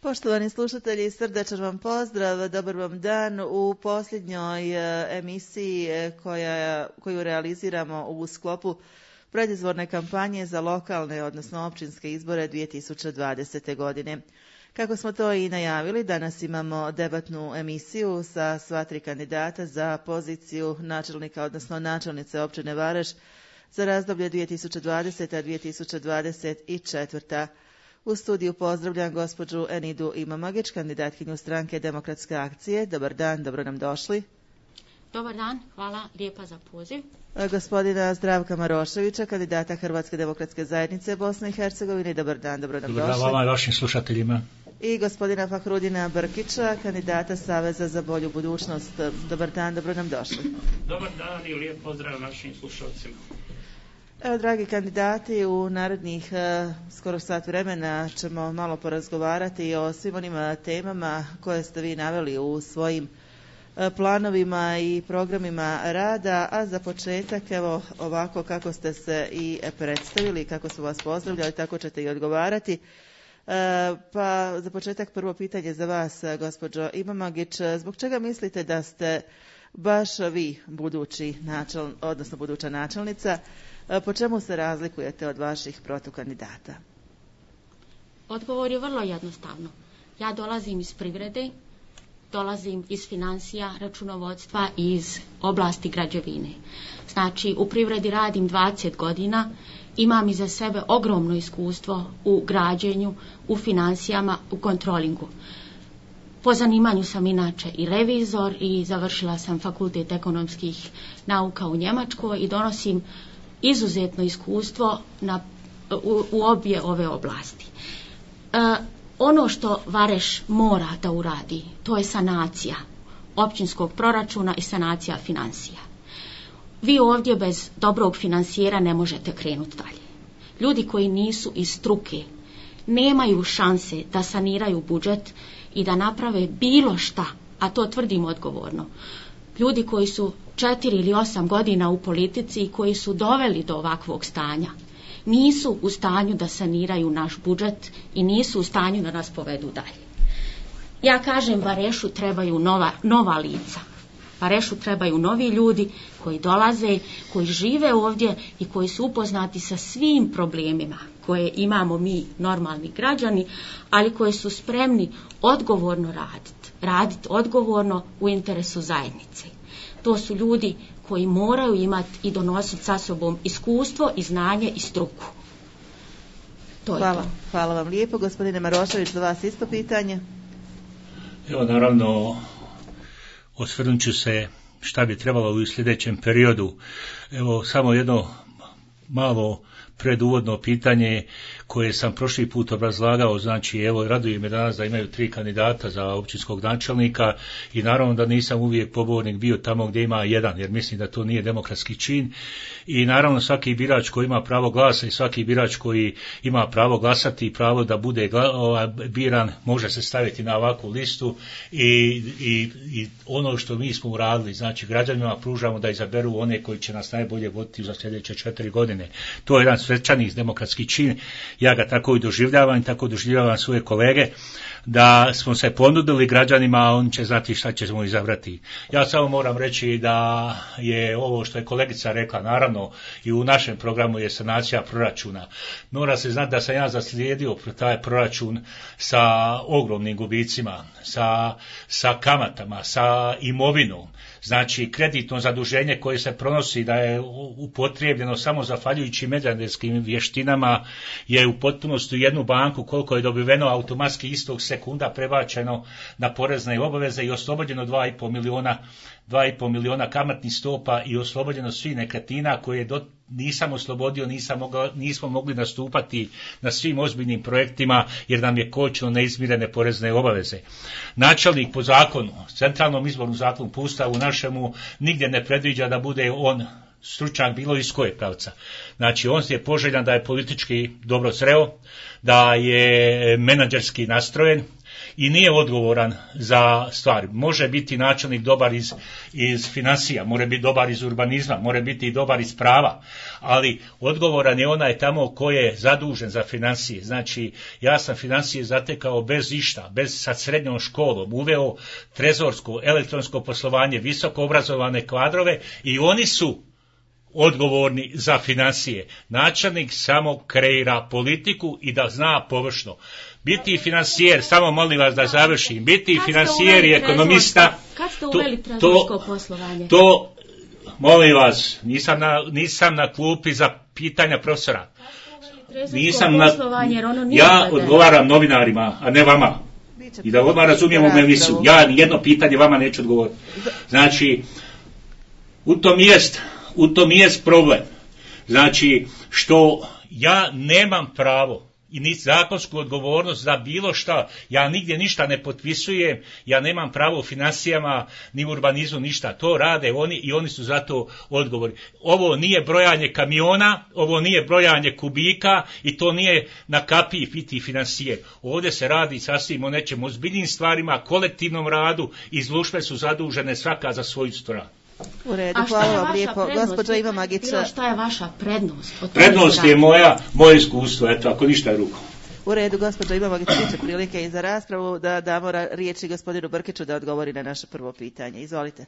Poštovani slušatelji, srdačan vam pozdrav, dobar vam dan u posljednjoj emisiji koju realiziramo u sklopu predizborne kampanje za lokalne, odnosno općinske izbore 2020. godine. Kako smo to i najavili, danas imamo debatnu emisiju sa sva tri kandidata za poziciju načelnika, odnosno načelnice općine Vareš za razdoblje 2020-2024. U studiju pozdravljam gospođu Enidu Imamagić, kandidatkinju stranke Demokratske akcije. Dobar dan, dobro nam došli. Dobar dan, hvala lijepa za poziv. Gospodina Zdravka Maroševića, kandidata Hrvatske demokratske zajednice Bosne i Hercegovine. Dobar dan, dobro nam došli. Dobar dan vama i vašim slušateljima. I gospodina Fahrudina Brkića, kandidata Saveza za bolju budućnost. Dobar dan, dobro nam došli. Dobar dan i lijep pozdrav našim slušalcima. Evo, dragi kandidati, u narednih skoro sat vremena ćemo malo porazgovarati o svim onim temama koje ste vi naveli u svojim planovima i programima rada, a za početak, evo ovako kako ste se i predstavili, kako su vas pozdravljali, tako ćete i odgovarati. Pa za početak prvo pitanje za vas, gospođo Imamagić, zbog čega mislite da ste baš vi buduća načelnica? Po čemu se razlikujete od vaših protukandidata? Odgovor je vrlo jednostavno. Ja dolazim iz privrede, dolazim iz financija, računovodstva i iz oblasti građevine. Znači, u privredi radim 20 godina, imam iza sebe ogromno iskustvo u građenju, u financijama, u kontrolingu. Po zanimanju sam inače i revizor i završila sam fakultet ekonomskih nauka u Njemačkoj i donosim izuzetno iskustvo u obje ove oblasti. Ono što Vareš mora da uradi, to je sanacija općinskog proračuna i sanacija financija. Vi ovdje bez dobrog finansijera ne možete krenuti dalje. Ljudi koji nisu iz struke nemaju šanse da saniraju budžet i da naprave bilo šta, a to tvrdim odgovorno. Ljudi koji su 4 ili 8 godina u politici i koji su doveli do ovakvog stanja, nisu u stanju da saniraju naš budžet i nisu u stanju da nas povedu dalje. Ja kažem, Varešu trebaju nova lica. Varešu trebaju novi ljudi koji dolaze, koji žive ovdje i koji su upoznati sa svim problemima koje imamo mi, normalni građani, ali koji su spremni odgovorno raditi odgovorno u interesu zajednice. To su ljudi koji moraju imati i donositi sa sobom iskustvo i znanje i struku. Hvala vam lijepo. Gospodine Marošević, za vas isto pitanje. Evo, naravno, osvrnut ću se šta bi trebalo u sljedećem periodu. Evo, samo jedno malo preduvodno pitanje koje sam prošli put obrazlagao, znači evo raduje me danas da imaju 3 kandidata za općinskog načelnika i naravno da nisam uvijek pobornik bio tamo gdje ima jedan, jer mislim da to nije demokratski čin i naravno svaki birač koji ima pravo glasa i svaki birač koji ima pravo glasati i pravo da bude biran može se staviti na ovakvu listu i ono što mi smo uradili, znači građanima pružamo da izaberu one koji će nas najbolje voditi za sljedeće 4 godine. To je jedan svečani demokratski čin. Ja ga tako i doživljavam, tako doživljavam svoje kolege, da smo se ponudili građanima, a oni će znati šta ćemo izabrati. Ja samo moram reći da je ovo što je kolegica rekla, naravno i u našem programu je sanacija proračuna. Mora se znati da sam ja zaslijedio taj proračun sa ogromnim gubicima, sa kamatama, sa imovinom. Znači, kreditno zaduženje koje se pronosi da je upotrijebljeno samo zahvaljujući menadžerskim vještinama je u potpunosti u jednu banku koliko je dobiveno automatski istog sekunda prebačeno na porezne obaveze i oslobođeno 2,5 miliona kamatnih stopa i oslobođeno svih nekretnina koje nisam oslobodio, nismo mogli nastupati na svim ozbiljnim projektima jer nam je kočilo neizmirene porezne obaveze. Načelnik po zakonu, centralnom izbornom zakonu po Ustavu našemu nigdje ne predviđa da bude on stručnjak bilo iz koje pravca. Znači on je poželjan da je politički dobro sreo, da je menadžerski nastrojen, i nije odgovoran za stvari. Može biti načelnik dobar iz financija, može biti dobar iz urbanizma, može biti i dobar iz prava, ali odgovoran je onaj tamo ko je zadužen za financije. Znači, ja sam financije zatekao bez išta, sa srednjom školom, uveo trezorsko, elektronsko poslovanje, visoko obrazovane kadrove i oni su odgovorni za financije. Načelnik samo kreira politiku i da zna površno. Biti finansijer, samo molim vas da završim, biti finansijer i ekonomista, kad ste uveli trezorsko poslovanje? To, molim vas, nisam na klupi za pitanja profesora. Ja odgovaram novinarima, a ne vama. I da odmah razumijemo me emisiju. Ja nijedno pitanje vama neću odgovoriti. Znači, u tom jest problem. Znači, što ja nemam pravo i ni zakonsku odgovornost za bilo šta. Ja nigdje ništa ne potpisujem, ja nemam pravo u financijama, ni u urbanizmu, ništa. To rade oni i oni su za to odgovorni. Ovo nije brojanje kamiona, ovo nije brojanje kubika i to nije na kapiji biti financijer. Ovdje se radi sasvim o nečem ozbiljnim stvarima, kolektivnom radu i službe su zadužene svaka za svoju stranu. U redu, hvala vam lijepo. Gospođa Iva Magića. Šta je vaša prednost? Prednost je moje iskustvo, eto, ako ništa je rukom. U redu, gospođa Iva Magića, biće prilike i za raspravu da damo riječi gospodinu Brkiću da odgovori na naše prvo pitanje. Izvolite.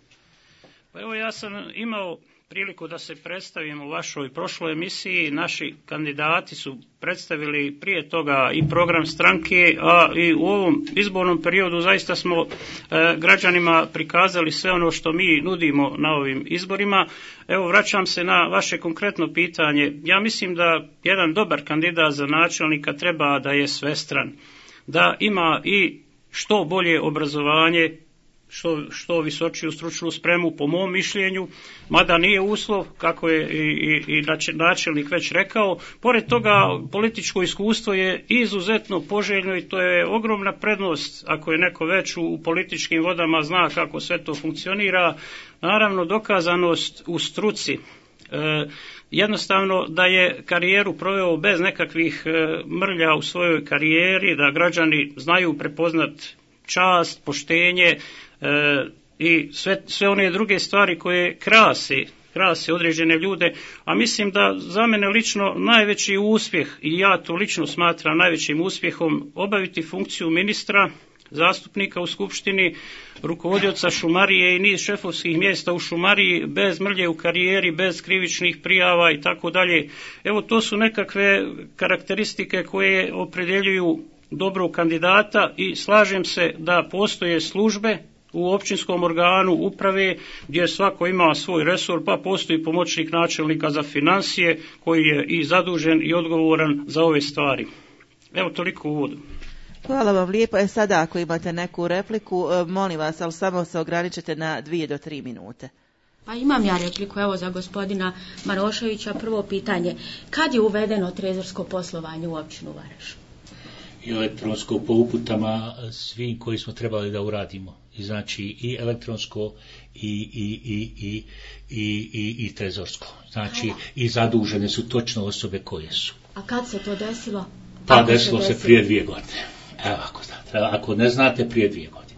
Pa evo, ja sam imao priliku da se predstavim u vašoj prošloj emisiji. Naši kandidati su predstavili prije toga i program stranke, a i u ovom izbornom periodu zaista smo građanima prikazali sve ono što mi nudimo na ovim izborima. Evo, vraćam se na vaše konkretno pitanje. Ja mislim da jedan dobar kandidat za načelnika treba da je svestran, da ima i što bolje obrazovanje, što visočiju stručnu spremu po mom mišljenju, mada nije uslov, kako je i načelnik već rekao. Pored toga, političko iskustvo je izuzetno poželjno i to je ogromna prednost ako je neko već u političkim vodama, zna kako sve to funkcionira. Naravno, dokazanost u struci. Jednostavno da je karijeru proveo bez nekakvih mrlja u svojoj karijeri, da građani znaju prepoznat čast, poštenje i sve one druge stvari koje krase određene ljude, a mislim da za mene lično najveći uspjeh, i ja to lično smatram najvećim uspjehom, obaviti funkciju ministra, zastupnika u skupštini, rukovodioca šumarije i niz šefovskih mjesta u šumariji, bez mrlje u karijeri, bez krivičnih prijava i tako dalje. Evo, to su nekakve karakteristike koje opredjeljuju dobrog kandidata i slažem se da postoje službe u općinskom organu uprave gdje svako ima svoj resor, pa postoji pomoćnik načelnika za financije koji je i zadužen i odgovoran za ove stvari. Evo, toliko u uvodu. Hvala vam lijepo. Sada ako imate neku repliku, molim vas, ali samo se ograničite na 2 do 3 minute. Pa imam ja repliku, evo, za gospodina Maroševića. Prvo pitanje, kad je uvedeno trezorsko poslovanje u općinu Vareš? I elektronsko po uputama svim koji smo trebali da uradimo. I znači i elektronsko i trezorsko. Znači i zadužene su točno osobe koje su. A kad se to desilo? Pa desilo se prije 2 godine. Evo, ako ne znate, prije 2 godine.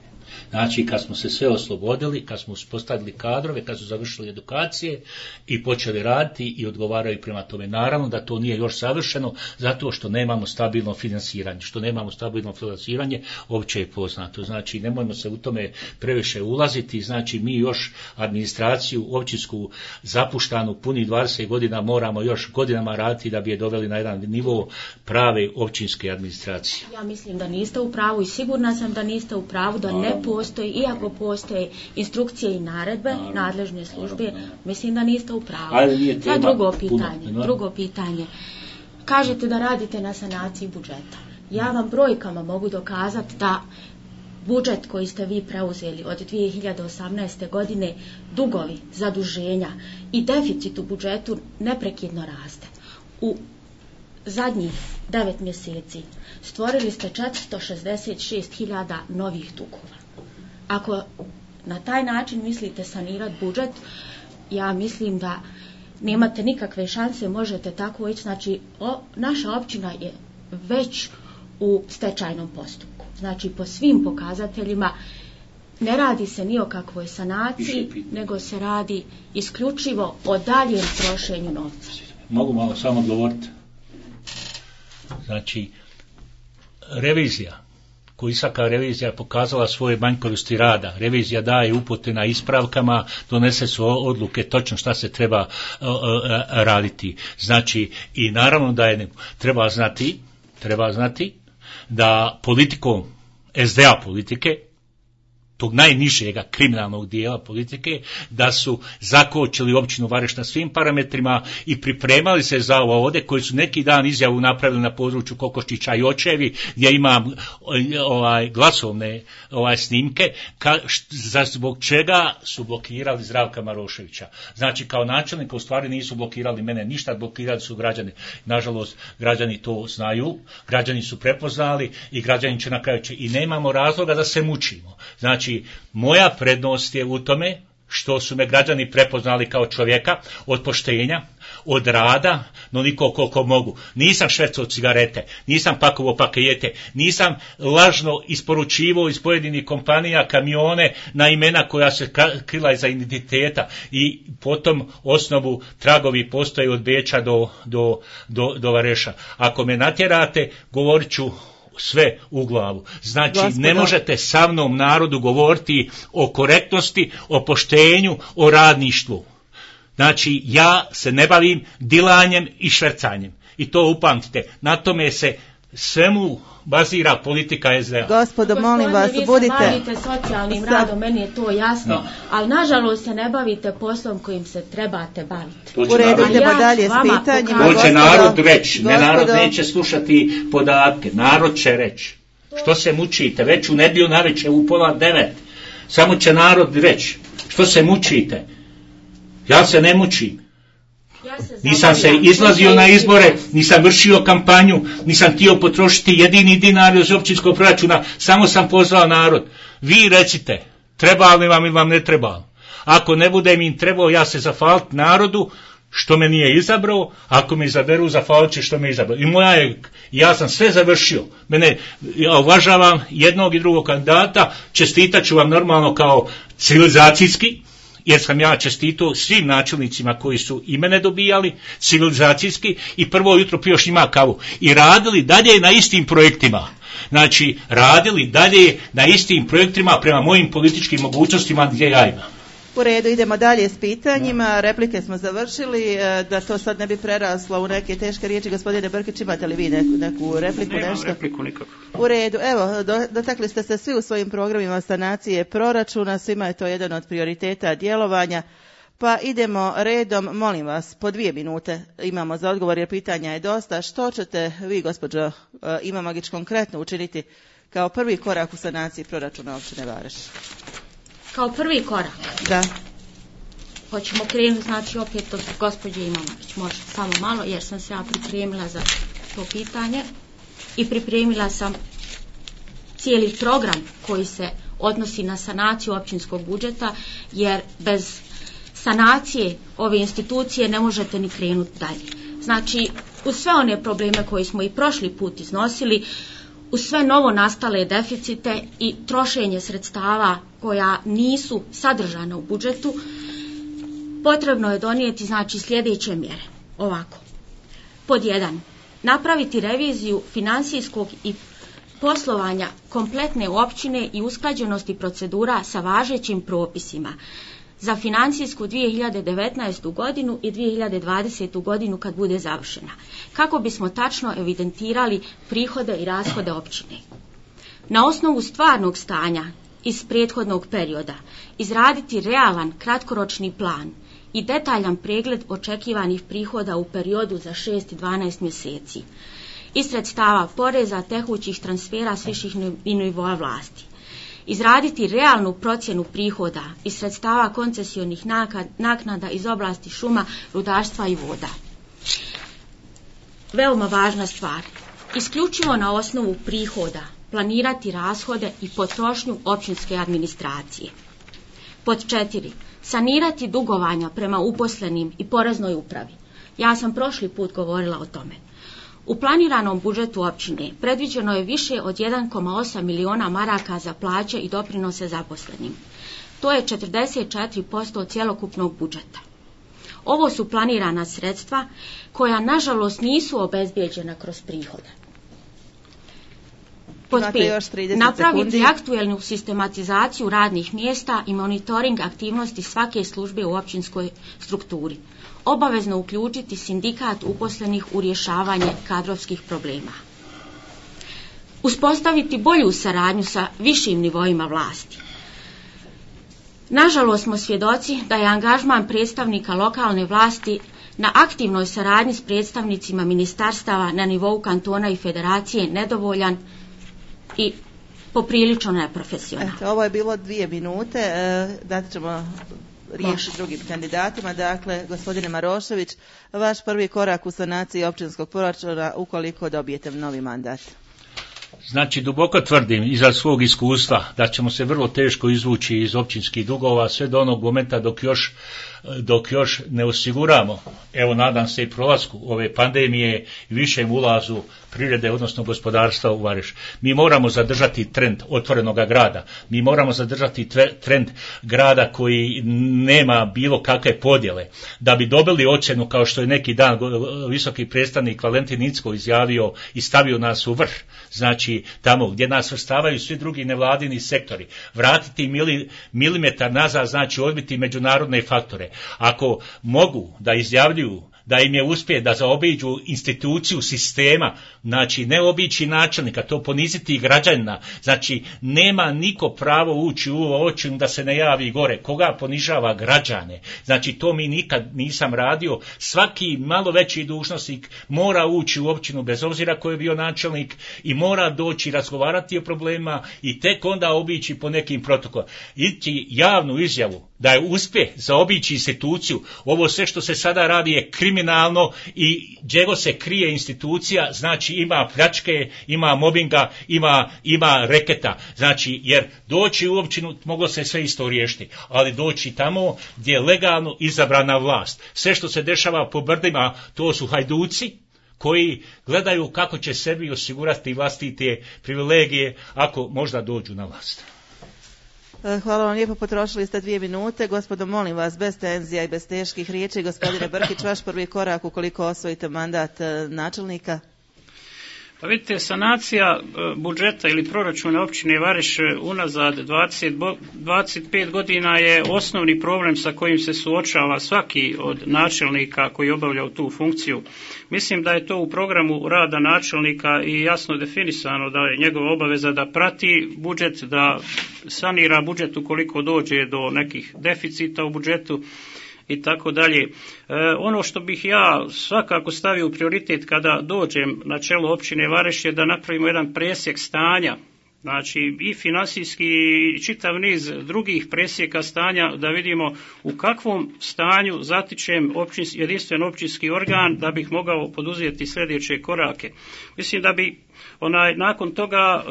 Znači, kad smo se sve oslobodili, kad smo uspostavili kadrove, kad su završili edukacije i počeli raditi i odgovaraju prema tome. Naravno da to nije još savršeno, zato što nemamo stabilno finansiranje. Što nemamo stabilno finansiranje, opće je poznato. Znači, nemojmo se u tome previše ulaziti. Znači, mi još administraciju općinsku zapuštanu punih 20 godina moramo još godinama raditi da bi je doveli na jedan nivo prave općinske administracije. Ja mislim da niste u pravu i sigurna sam da niste u pravu, da ne postoji, iako postoje instrukcije i naredbe, nadležne službe, mislim da niste u pravu. Sad drugo pitanje. Kažete da radite na sanaciji budžeta. Ja vam brojkama mogu dokazati da budžet koji ste vi preuzeli od 2018. godine, dugovi, zaduženja i deficit u budžetu neprekidno raste. U zadnjih 9 mjeseci stvorili ste 466.000 novih dugova. Ako na taj način mislite sanirati budžet, ja mislim da nemate nikakve šanse, možete tako ići. Znači, naša općina je već u stečajnom postupku. Znači po svim pokazateljima ne radi se ni o kakvoj sanaciji, nego se radi isključivo o daljem trošenju novca. Mogu malo samo govoriti? Znači, revizija, Kojisaka revizija pokazala svoje manjkavosti rada. Revizija daje upute na ispravkama, donese su odluke točno šta se treba raditi. Znači, i naravno da je treba znati da politikom SDA politike, tog najnižega kriminalnog dijela politike, da su zakočili općinu Vareš na svim parametrima i pripremali se za ovo ovdje, koji su neki dan izjavu napravili na području Kokoščića i Očevi, gdje imam glasovne snimke, zbog čega su blokirali Zdravka Maroševića. Znači, kao načelnika u stvari nisu blokirali mene ništa, blokirali su građani. Nažalost, građani to znaju, građani su prepoznali i građani će na kraju i nemamo razloga da se mučimo. Znači, moja prednost je u tome što su me građani prepoznali kao čovjeka od poštenja, od rada, no niko koliko mogu. Nisam švercao cigarete, nisam pakovao pakete, nisam lažno isporučivao iz pojedinih kompanija kamione na imena koja se krila iza identiteta i potom osnovu tragovi postoje od Beča do Vareša. Ako me natjerate, govorit ću sve u glavu. Znači, Gospodo, ne možete sa mnom narodu govoriti o korektnosti, o poštenju, o radništvu. Znači, ja se ne bavim dilanjem i švercanjem. I to upamtite. Na tome se svemu bazira politika SDA. Gospodo, molim vas, budite... bavite socijalnim radom, meni je to jasno, ali nažalost se ne bavite poslom kojim se trebate baviti. U redu, idemo dalje s pitanjima. To će narod reći, narod neće slušati podatke, narod će reći. Što se mučite, već u nedjelju navečer u 8:30, samo će narod reći, što se mučite. Ja se ne mučim. Nisam se izlazio na izbore, nisam vršio kampanju, nisam htio potrošiti jedini dinar iz općinskog proračuna, samo sam pozvao narod. Vi recite, treba li vam ili vam ne treba. Ako ne bude mi im trebao, ja se zahvalit narodu što me nije izabrao, ako me izaberu, zahvalit će što me izabrao. I ja sam sve završio. Ja uvažavam jednog i drugog kandidata, čestitat ću vam normalno kao civilizacijski, jer sam ja čestitao svim načelnicima koji su i mene dobijali, civilizacijski, i prvo jutro pio šima kavu. I radili dalje na istim projektima. Znači, radili dalje na istim projektima prema mojim političkim mogućnostima gdje ja imam. U redu, idemo dalje s pitanjima. Replike smo završili, da to sad ne bi preraslo u neke teške riječi. Gospodine Brkić, imate li vi neku repliku? Nemam repliku nikako. U redu, evo, dotakli ste se svi u svojim programima sanacije proračuna, svima je to jedan od prioriteta djelovanja. Pa idemo redom, molim vas, po 2 minute imamo za odgovor jer pitanja je dosta. Što ćete vi, gospođo Imamagić, konkretno učiniti kao prvi korak u sanaciji proračuna općine Vareš? Kao prvi korak? Da. Hoćemo krenuti, znači opet od gospođe Imamagić, može samo malo, jer sam se ja pripremila za to pitanje i pripremila sam cijeli program koji se odnosi na sanaciju općinskog budžeta, jer bez sanacije ove institucije ne možete ni krenuti dalje. Znači, uz sve one probleme koje smo i prošli put iznosili, uz sve novo nastale deficite i trošenje sredstava koja nisu sadržana u budžetu, potrebno je donijeti, znači, sljedeće mjere. Ovako. Pod 1. Napraviti reviziju financijskog i poslovanja kompletne općine i usklađenosti procedura sa važećim propisima za financijsku 2019. godinu i 2020. godinu kad bude završena, kako bismo tačno evidentirali prihode i rashode općine. Na osnovu stvarnog stanja iz prethodnog perioda izraditi realan kratkoročni plan i detaljan pregled očekivanih prihoda u periodu za 6 i 12 mjeseci iz sredstava poreza, tekućih transfera s viših nivoa vlasti. Izraditi realnu procjenu prihoda iz sredstava koncesionih naknada iz oblasti šuma, rudarstva i voda. Veoma važna stvar. Isključivo na osnovu prihoda planirati rashode i potrošnju općinske administracije. Pod 4. Sanirati dugovanja prema uposlenim i poreznoj upravi. Ja sam prošli put govorila o tome. U planiranom budžetu općine predviđeno je više od 1,8 miliona maraka za plaće i doprinose zaposlenim. To je 44% cjelokupnog budžeta. Ovo su planirana sredstva koja nažalost nisu obezbijeđena kroz prihode. Pod 5. Napraviti aktuelnu sistematizaciju radnih mjesta i monitoring aktivnosti svake službe u općinskoj strukturi. Obavezno uključiti sindikat uposlenih u rješavanje kadrovskih problema. Uspostaviti bolju saradnju sa višim nivoima vlasti. Nažalost smo svjedoci da je angažman predstavnika lokalne vlasti na aktivnoj saradnji s predstavnicima ministarstava na nivou kantona i federacije nedovoljan i poprilično neprofesionalan. Ovo je bilo 2 minute, dati ćemo riječ drugim kandidatima. Dakle, gospodine Marošević, vaš prvi korak u sanaciji općinskog proračuna ukoliko dobijete novi mandat. Znači, duboko tvrdim iza svog iskustva da ćemo se vrlo teško izvući iz općinskih dugova sve do onog momenta dok još ne osiguramo, evo nadam se i prolasku ove pandemije i višem ulazu privrede, odnosno gospodarstva u Vareš. Mi moramo zadržati trend otvorenog grada, mi moramo zadržati trend grada koji nema bilo kakve podjele. Da bi dobili ocjenu, kao što je neki dan visoki predstavnik Valentin Incko izjavio i stavio nas u vrh, znači tamo gdje nas vrstavaju svi drugi nevladini sektori, vratiti milimetar nazad, znači odbiti međunarodne faktore. Ako mogu da izjavljuju da im je uspije da zaobiđu instituciju sistema, znači ne obići načelnika, to poniziti građanina, znači nema niko pravo ući u općinu da se ne javi gore, koga ponižava građane, znači to mi nikad nisam radio, svaki malo veći dužnosnik mora ući u općinu bez obzira ko je bio načelnik i mora doći razgovarati o problemima i tek onda obići po nekim protokolima. Ići javnu izjavu da je uspjeh zaobići instituciju, ovo sve što se sada radi je kriminalno i gdje se krije institucija, znači ima pljačke, ima mobinga, ima reketa, znači jer doći u općinu moglo se sve isto riješiti, ali doći tamo gdje je legalno izabrana vlast. Sve što se dešava po brdima, to su hajduci koji gledaju kako će sebi osigurati vlastite privilegije ako možda dođu na vlast. Hvala vam lijepo, potrošili ste 2 minute. Gospodo, molim vas, bez tenzija i bez teških riječi. Gospodine Brkić, vaš prvi korak ukoliko osvojite mandat načelnika? Pa vidite, sanacija budžeta ili proračuna općine Vareš unazad 25 godina je osnovni problem sa kojim se suočava svaki od načelnika koji obavlja tu funkciju. Mislim da je to u programu rada načelnika i jasno definisano da je njegova obaveza da prati budžet, da sanira budžet ukoliko dođe do nekih deficita u budžetu i tako dalje. Ono što bih ja svakako stavio u prioritet kada dođem na čelo općine Vareš je da napravimo jedan presjek stanja, znači i finansijski i čitav niz drugih presjeka stanja, da vidimo u kakvom stanju zatičem jedinstven općinski organ da bih mogao poduzeti sljedeće korake. Mislim da bi nakon toga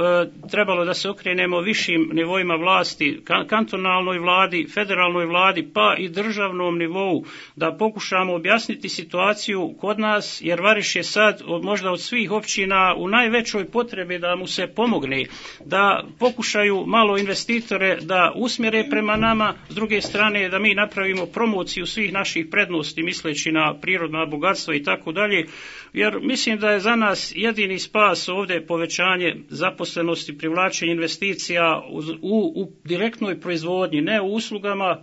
trebalo da se okrenemo višim nivoima vlasti, kantonalnoj vladi, federalnoj vladi, pa i državnom nivou, da pokušamo objasniti situaciju kod nas, jer Vareš je sad možda od svih općina u najvećoj potrebi da mu se pomogne, da pokušaju malo investitore da usmjere prema nama, s druge strane da mi napravimo promociju svih naših prednosti misleći na prirodna bogatstva i tako dalje, jer mislim da je za nas jedini spas ovdje povećanje zaposlenosti, privlačenje investicija u direktnoj proizvodnji, ne u uslugama,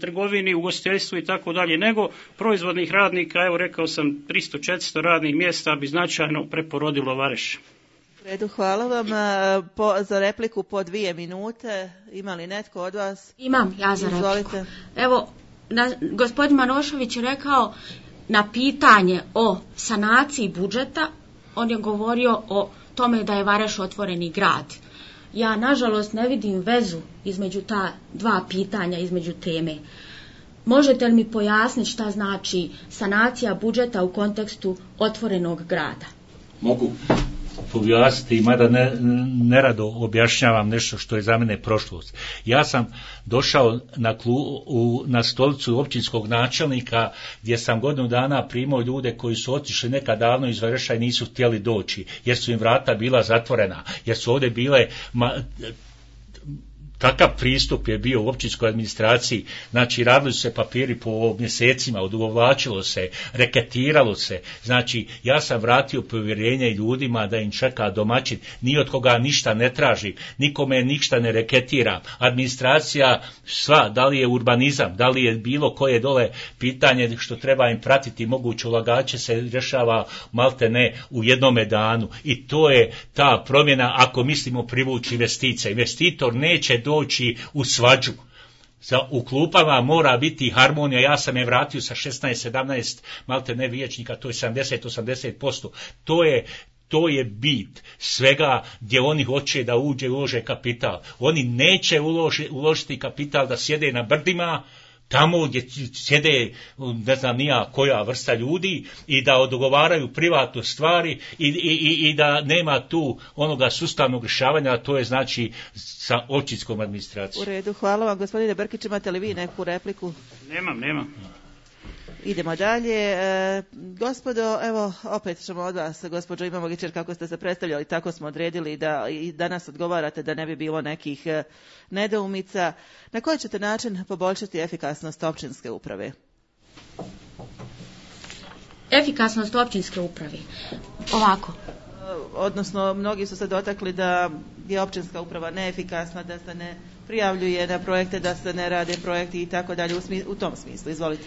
trgovini, ugostiteljstvu i tako dalje, nego proizvodnih radnika. Evo rekao sam 300-400 radnih mjesta bi značajno preporodilo Vareš. U redu, hvala vam. Za repliku po 2 minute. Ima li netko od vas? Imam ja za Izvolite. repliku. Evo, gospodin Marošević je rekao na pitanje o sanaciji budžeta, on je govorio o tome da je Vareš otvoreni grad. Ja nažalost ne vidim vezu između ta 2 pitanja, između teme. Možete li mi pojasniti šta znači sanacija budžeta u kontekstu otvorenog grada? Mogu. pojasniti, mada nerado objašnjavam nešto što je za mene prošlost. Ja sam došao na stolicu općinskog načelnika gdje sam godinu dana primao ljude koji su otišli nekad davno iz Vereša i nisu htjeli doći, jer su im vrata bila zatvorena, jer su ovdje bile... Takav pristup je bio u općinskoj administraciji, znači radili su se papiri po mjesecima, odugovlačilo se, reketiralo se, znači ja sam vratio povjerenje ljudima da im čeka domaćin, ni od koga ništa ne tražim, nikome ništa ne reketiram, administracija sva, da li je urbanizam, da li je bilo koje dole pitanje što treba im pratiti, moguće ulagače se rješava malte ne u jednome danu i to je ta promjena ako mislimo privući investicije. Investitor neće doći u svađu. U klupama mora biti harmonija, ja sam je vratio sa 16-17 malte ne vijećnika, to je 70-80%. To je bit svega gdje oni hoće da ulože kapital. Oni neće uložiti kapital da sjede na brdima, tamo gdje sjede ne znam nija koja vrsta ljudi i da dogovaraju privatne stvari i da nema tu onoga sustavnog rješavanja, a to je znači sa općinskom administracijom. U redu, hvala vam. Gospodine Brkić, imate li vi neku repliku? Nemam. Idemo dalje. Gospodo, evo, opet ćemo od vas, gospođo Imamović, kako ste se predstavljali, tako smo odredili da i danas odgovarate da ne bi bilo nekih nedoumica. Na koji ćete način poboljšati efikasnost općinske uprave? Efikasnost općinske uprave. Ovako. Odnosno, mnogi su se dotakli da je općinska uprava neefikasna, da se ne prijavljuje na projekte, da se ne rade projekti i tako dalje. U tom smislu, izvolite.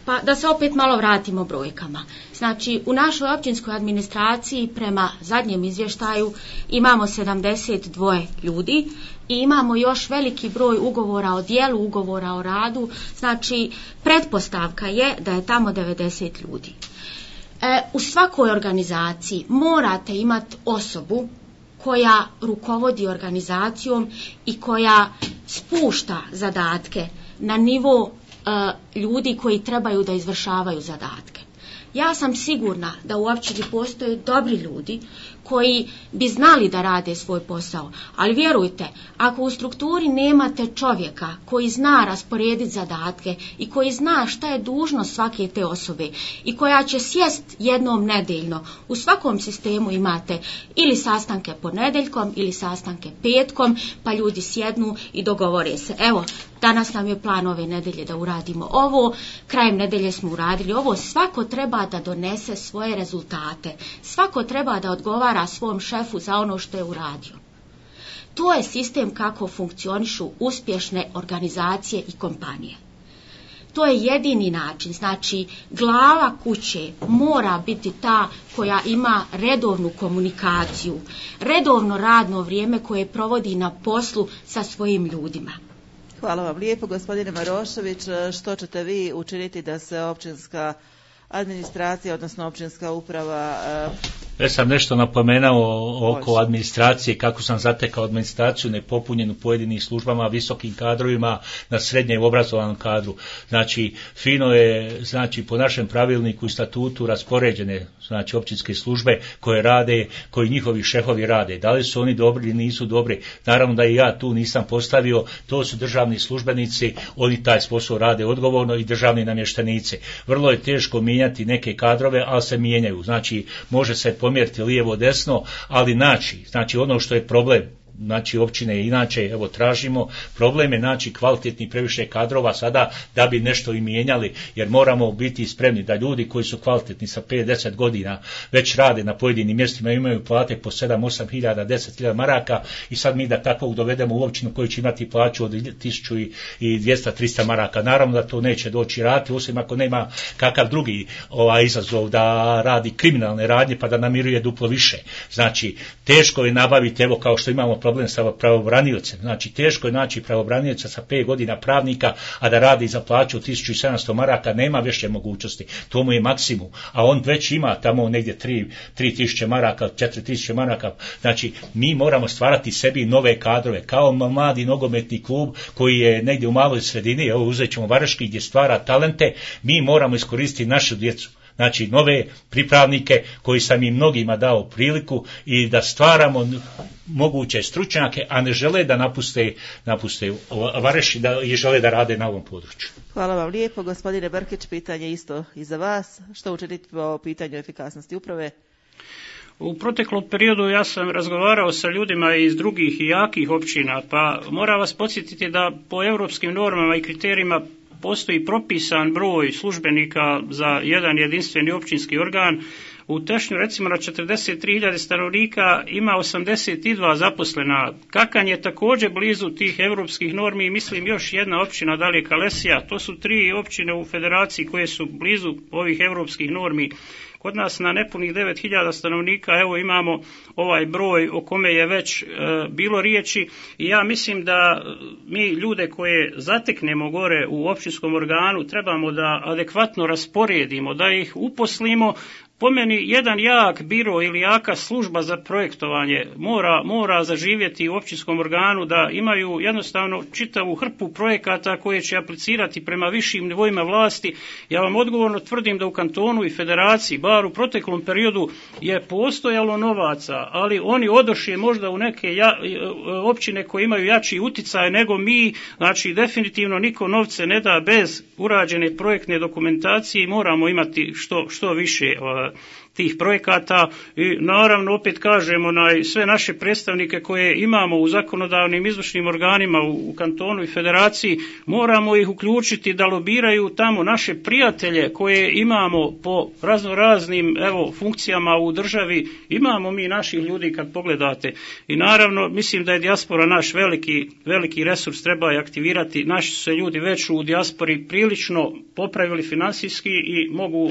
Pa da se opet malo vratimo brojkama. Znači, u našoj općinskoj administraciji prema zadnjem izvještaju imamo 72 ljudi i imamo još veliki broj ugovora o djelu, ugovora o radu. Znači, pretpostavka je da je tamo 90 ljudi. U svakoj organizaciji morate imati osobu koja rukovodi organizacijom i koja spušta zadatke na nivo ljudi koji trebaju da izvršavaju zadatke. Ja sam sigurna da u općini postoje dobri ljudi koji bi znali da rade svoj posao, ali vjerujte, ako u strukturi nemate čovjeka koji zna rasporediti zadatke i koji zna šta je dužnost svake te osobe i koja će sjest jednom nedeljno, u svakom sistemu imate ili sastanke ponedjeljkom ili sastanke petkom, pa ljudi sjednu i dogovore se. Evo, danas nam je plan ove nedelje da uradimo ovo, krajem nedelje smo uradili ovo. Svako treba da donese svoje rezultate, svako treba da odgovara svom šefu za ono što je uradio. To je sistem kako funkcionišu uspješne organizacije i kompanije. To je jedini način. Znači, glava kuće mora biti ta koja ima redovnu komunikaciju, redovno radno vrijeme koje provodi na poslu sa svojim ljudima. Hvala vam lijepo, gospodine Marošević. Što ćete vi učiniti da se općinska administracija, odnosno općinska uprava... Ja sam nešto napomenuo oko administracije, kako sam zatekao administraciju nepopunjenu pojedinim službama, visokim kadrovima, na srednje obrazovanom kadru. Znači, fino je, znači, po našem pravilniku i statutu raspoređene, znači, općinske službe koje rade, koji njihovi šefovi rade. Da li su oni dobri ili nisu dobri? Naravno da i ja tu nisam postavio, to su državni službenici, oni taj posao rade odgovorno i državni namještenici. Vrlo je teško mijenjati neke kadrove, ali se mijenjaju. Znači, može se pomjeriti lijevo desno, ali znači ono što je problem, znači općine inače, evo tražimo, problem je naći kvalitetni previše kadrova sada da bi nešto i mijenjali, jer moramo biti spremni da ljudi koji su kvalitetni sa 5-10 godina već rade na pojedinim mjestima, imaju plate po 7-8 hiljada, 10.000 maraka i sad mi da takvog dovedemo u općinu koji će imati plaću od 1200-300 maraka. Naravno da to neće doći raditi, osim ako nema kakav drugi izazov da radi kriminalne radnje pa da namiruje duplo više. Znači, teško je nabaviti, evo kao što imamo problem sa pravobraniocem. Znači, teško je naći pravobranioca sa 5 godina pravnika, a da radi za plaću 1700 maraka, nema više mogućnosti. To mu je maksimum. A on već ima tamo negdje 3000 maraka, 4000 maraka. Znači, mi moramo stvarati sebi nove kadrove. Kao mladi nogometni klub koji je negdje u maloj sredini, evo uzet ćemo Vareški gdje stvara talente, mi moramo iskoristiti našu djecu. znači nove pripravnike koji sam im mnogima dao priliku i da stvaramo moguće stručnjake, a ne žele da napuste Vareš i žele da rade na ovom području. Hvala vam lijepo. Gospodine Brkić, pitanje isto i za vas. Što učiniti po pitanju efikasnosti uprave? U proteklom periodu ja sam razgovarao sa ljudima iz drugih i jakih općina, pa moram vas podsjetiti da po europskim normama i kriterijima postoji propisan broj službenika za jedan jedinstveni općinski organ. U Tešnju recimo na 43.000 stanovnika ima 82 zaposlena. Kakanj je također blizu tih europskih normi i mislim još jedna općina dalje Kalesija. To su 3 općine u federaciji koje su blizu ovih europskih normi. Kod nas na nepunih 9.000 stanovnika evo imamo ovaj broj o kome je već bilo riječi i ja mislim da mi ljude koje zateknemo gore u općinskom organu trebamo da adekvatno rasporedimo, da ih uposlimo. Po meni jedan jak biro ili jaka služba za projektovanje mora zaživjeti u općinskom organu, da imaju jednostavno čitavu hrpu projekata koje će aplicirati prema višim nivoima vlasti. Ja vam odgovorno tvrdim da u kantonu i federaciji, bar u proteklom periodu, je postojalo novaca, ali oni odošli možda u neke općine koje imaju jači uticaj nego mi, znači definitivno niko novce ne da bez urađene projektne dokumentacije i moramo imati što više tih projekata i naravno opet kažemo sve naše predstavnike koje imamo u zakonodavnim izvršnim organima u kantonu i federaciji, moramo ih uključiti da lobiraju tamo naše prijatelje koje imamo po raznim funkcijama u državi, imamo mi naših ljudi kad pogledate i naravno mislim da je dijaspora naš veliki resurs, treba je aktivirati, naši su se ljudi već u dijaspori prilično popravili financijski i mogu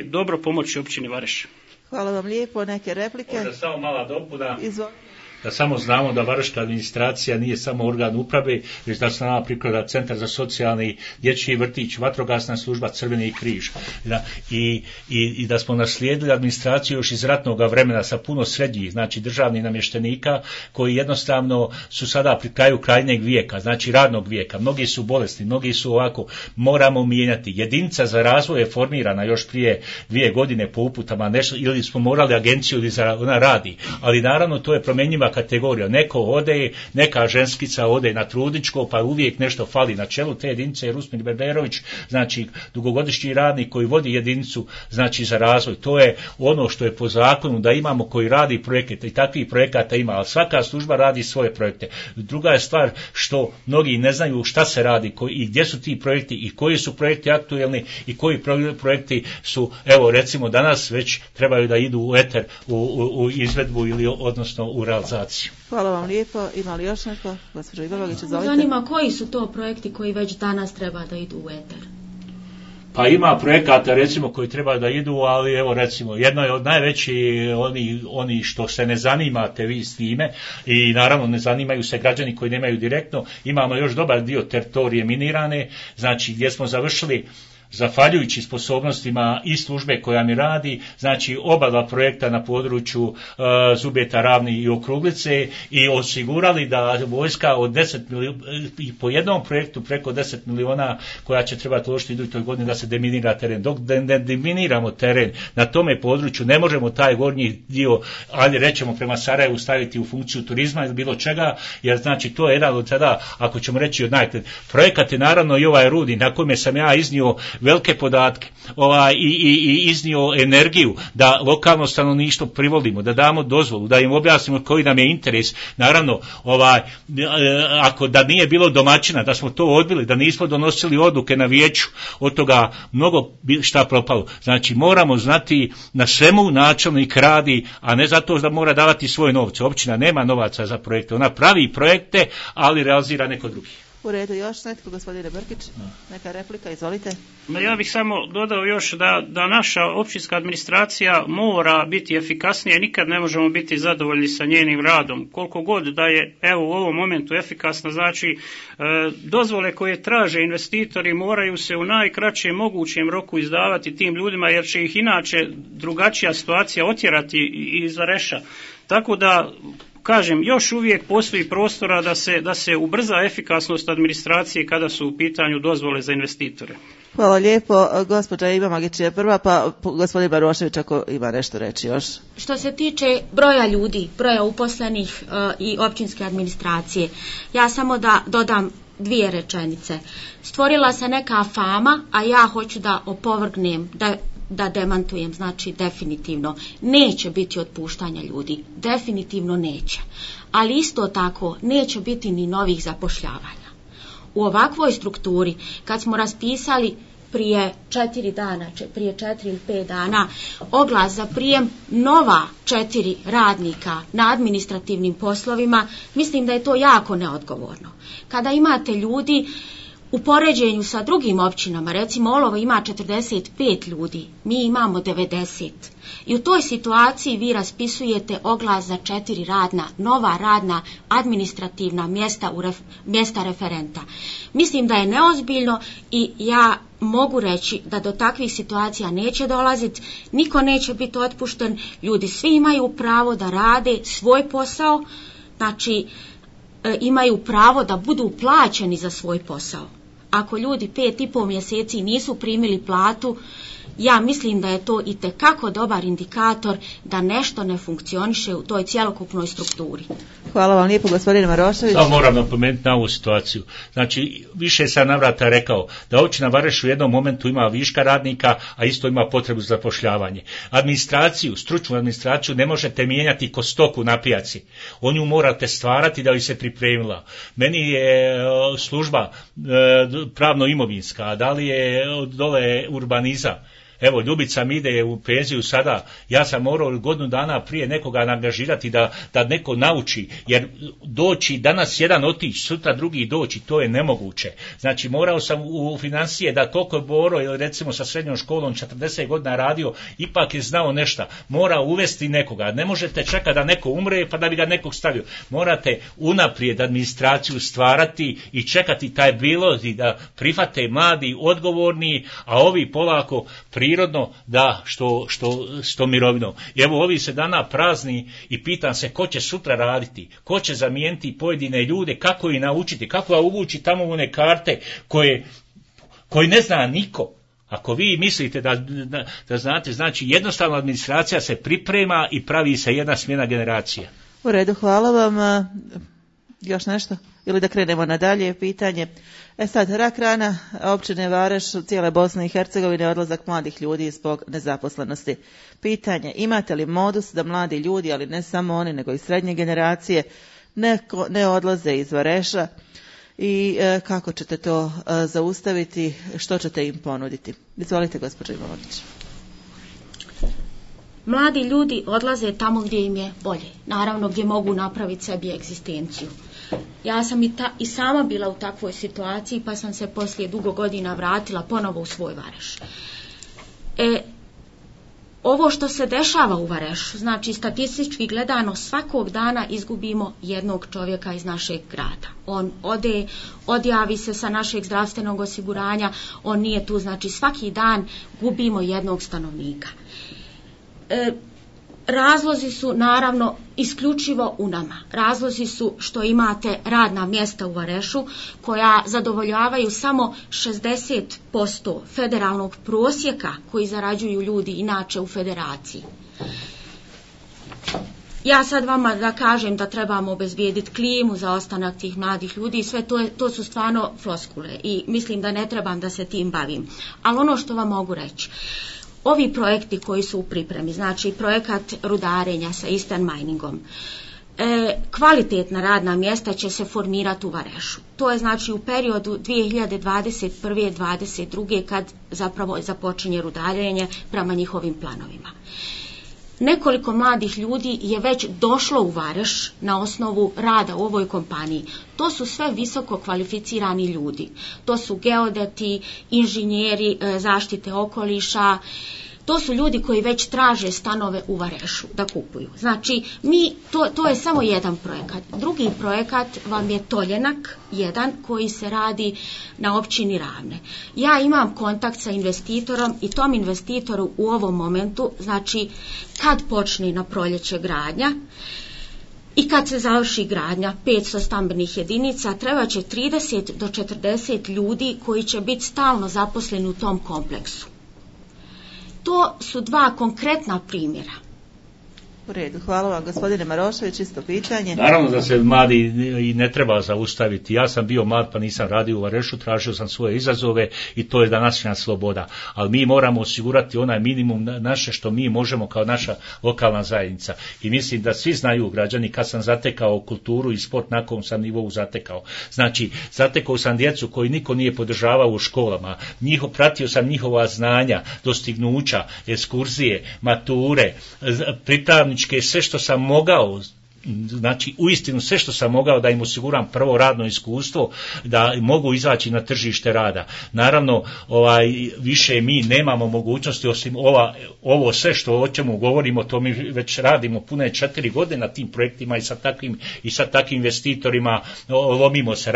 dobro pomoći općini Vareš. Hvala vam lijepo. Neke replike? Možda samo mala dopuna. Da samo znamo da Vareška administracija nije samo organ uprave, već da se nama priklada Centar za socijalni dječji vrtić, vatrogasna služba, Crveni križ. I da smo naslijedili administraciju još iz ratnog vremena sa puno srednjih, znači državnih namještenika, koji jednostavno su sada pri kraju krajnjeg vijeka, znači radnog vijeka. Mnogi su bolesni, mnogi su ovako, moramo mijenjati. Jedinica za razvoj je formirana još prije 2 godine po uputama, nešto, ili smo morali agenciju, ili ona radi, ali naravno to je promjenjiva kategorija. Neko ode, neka ženskica ode na trudničko, pa uvijek nešto fali. Na čelu te jedinice je Rusmir Berberović, znači dugogodišnji radnik koji vodi jedinicu, znači za razvoj. To je ono što je po zakonu da imamo koji radi projekte i takvih projekata ima, ali svaka služba radi svoje projekte. Druga je stvar što mnogi ne znaju šta se radi i gdje su ti projekti i koji su projekti aktuelni i koji projekti su, evo recimo danas već trebaju da idu u eter, u izvedbu ili odnosno u realizaciju. Hvala vam lijepo. Ima li još neko? Gospođo Igovović, izvolite. Zanima koji su to projekti koji već danas treba da idu u eter? Pa ima projekata recimo koji treba da idu, ali evo recimo jedno je od najvećih oni što se ne zanimate vi s time i naravno ne zanimaju se građani koji nemaju direktno. Imamo još dobar dio teritorije minirane, znači gdje smo završili zahvaljujući sposobnostima i službe koja mi radi, znači oba dva projekta na području Zubeta, Ravni i Okruglice i osigurali da vojska od 10 milijuna, i po jednom projektu preko 10 miliona koja će trebati uložiti idućoj godini da se deminira teren. Dok ne deminiramo teren na tome području, ne možemo taj gornji dio, ali rećemo prema Sarajevu, staviti u funkciju turizma ili bilo čega, jer znači to je jedan od tada, ako ćemo reći od projekat je naravno i ovaj Rudi, na kome sam ja iznio velike podatke i iznio energiju da lokalno stanovništvo privolimo, da damo dozvolu, da im objasnimo koji nam je interes. Naravno, ako da nije bilo domaćina, da smo to odbili, da nismo donosili odluke na vijeću, od toga mnogo šta propalo. Znači, moramo znati na svemu načelnik radi, a ne zato da mora davati svoje novce. Općina nema novaca za projekte, ona pravi projekte, ali realizira neko drugi. U redu, još netko, gospodine Brkić, neka replika, izvolite. Ja bih samo dodao još da naša općinska administracija mora biti efikasnija i nikad ne možemo biti zadovoljni sa njenim radom. Koliko god da je u ovom momentu efikasna, znači dozvole koje traže investitori moraju se u najkraćem mogućem roku izdavati tim ljudima, jer će ih inače drugačija situacija otjerati iz Vareša. Tako da kažem, još uvijek postoji prostora da se ubrza efikasnost administracije kada su u pitanju dozvole za investitore. Hvala lijepo. Gospođa Iva Magić je prva, pa gospodin Barošević ako ima nešto reći još. Što se tiče broja ljudi, broja uposlenih i općinske administracije, ja samo da dodam 2 rečenice. Stvorila se neka fama, a ja hoću da opovrgnem, da demantujem, znači definitivno neće biti otpuštanja ljudi, definitivno neće, ali isto tako neće biti ni novih zapošljavanja. U ovakvoj strukturi, kad smo raspisali prije 4 ili 5 dana oglas za prijem nova 4 radnika na administrativnim poslovima, mislim da je to jako neodgovorno. Kada imate ljudi u poređenju sa drugim općinama, recimo Olovo ima 45 ljudi, mi imamo 90. I u toj situaciji vi raspisujete oglas za 4 nova radna administrativna mjesta referenta. Mislim da je neozbiljno i ja mogu reći da do takvih situacija neće dolaziti, niko neće biti otpušten, ljudi svi imaju pravo da rade svoj posao, znači imaju pravo da budu plaćeni za svoj posao. Ako ljudi 5,5 mjeseci nisu primili platu, ja mislim da je to itekako dobar indikator da nešto ne funkcioniše u toj cjelokupnoj strukturi. Hvala vam lijepo, gospodine Marošević. Samo moram napomenuti na ovu situaciju. Znači, više sam navrata rekao da općina Vareš u jednom momentu ima viška radnika, a isto ima potrebu za zapošljavanje. Administraciju, stručnu administraciju ne možete mijenjati ko stoku na pijaci. On ju morate stvarati da bi se pripremila. Meni je služba pravno-imovinska, da li je dole urbaniza. Evo, Ljubica mi ide u penziju sada, ja sam morao godinu dana prije nekoga angažirati da neko nauči, jer doći danas jedan otići, sutra drugi doći, to je nemoguće. Znači, morao sam u financije da koliko je Boro, ili recimo sa srednjom školom 40 godina radio, ipak je znao nešto. Mora uvesti nekoga. Ne možete čekati da neko umre pa da bi ga nekog stavio. Morate unaprijed administraciju stvarati i čekati taj bilog i da prihvate mladi, odgovorni, a ovi polako prirodno da što mirovinom. I evo ovi se dana prazni i pitam se ko će sutra raditi, ko će zamijeniti pojedine ljude, kako ih naučiti, kako ga uvući tamo u one karte koje ne zna niko. Ako vi mislite da znate, znači jednostavno administracija se priprema i pravi se jedna smjena generacija. U redu, hvala vam. Još nešto? Ili da krenemo na dalje pitanje. Sad, rak rana općine Vareš, cijele Bosne i Hercegovine, odlazak mladih ljudi zbog nezaposlenosti. Pitanje, imate li modus da mladi ljudi, ali ne samo oni, nego i srednje generacije, ne odlaze iz Vareša i kako ćete to zaustaviti, što ćete im ponuditi? Izvolite, gospođo Ivanović. Mladi ljudi odlaze tamo gdje im je bolje, naravno gdje mogu napraviti sebi egzistenciju. Ja sam i sama bila u takvoj situaciji, pa sam se poslije dugo godina vratila ponovo u svoj Vareš. Ovo što se dešava u Varešu, znači statistički gledano, svakog dana izgubimo jednog čovjeka iz našeg grada. On odjavi se sa našeg zdravstvenog osiguranja, on nije tu, znači svaki dan gubimo jednog stanovnika. Razlozi su naravno isključivo u nama. Razlozi su što imate radna mjesta u Varešu koja zadovoljavaju samo 60% federalnog prosjeka koji zarađuju ljudi inače u federaciji. Ja sad vama da kažem da trebamo obezbijediti klimu za ostanak tih mladih ljudi, sve to su stvarno floskule i mislim da ne trebam da se tim bavim. Ali ono što vam mogu reći, ovi projekti koji su u pripremi, znači projekat rudarenja sa Eastern Miningom, kvalitetna radna mjesta će se formirati u Varešu. To je znači u periodu 2021-2022 kad zapravo započinje rudarenje prema njihovim planovima. Nekoliko mladih ljudi je već došlo u Vareš na osnovu rada u ovoj kompaniji. To su sve visoko kvalificirani ljudi. To su geodeti, inženjeri zaštite okoliša. To su ljudi koji već traže stanove u Varešu da kupuju. Znači, to je samo jedan projekat. Drugi projekat vam je Toljenak, jedan koji se radi na općini Ravne. Ja imam kontakt sa investitorom i tom investitoru u ovom momentu, znači kad počne na proljeće gradnja, I kad se završi gradnja 500 stambenih jedinica, treba će 30 do 40 ljudi koji će biti stalno zaposleni u tom kompleksu. To su dva konkretna primjera. U redu, hvala vam. Gospodine Marošević, isto pitanje. Naravno da se mladi i ne treba zaustaviti. Ja sam bio mlad pa nisam radio u Varešu, tražio sam svoje izazove i to je današnja sloboda. Ali mi moramo osigurati onaj minimum naše što mi možemo kao naša lokalna zajednica. I mislim da svi znaju građani kad sam zatekao kulturu i sport na kom sam nivou zatekao. Znači, zatekao sam djecu koji niko nije podržavao u školama. Pratio sam njihova znanja, dostignuća, ekskurzije, mature, pripravničke, sve što sam mogao, znači uistinu sve što sam mogao da im osiguram prvo radno iskustvo, da mogu izaći na tržište rada. Naravno, više mi nemamo mogućnosti osim ovo sve što o čemu govorimo, to mi već radimo pune 4 godine na tim projektima i sa takvim investitorima lomimo se,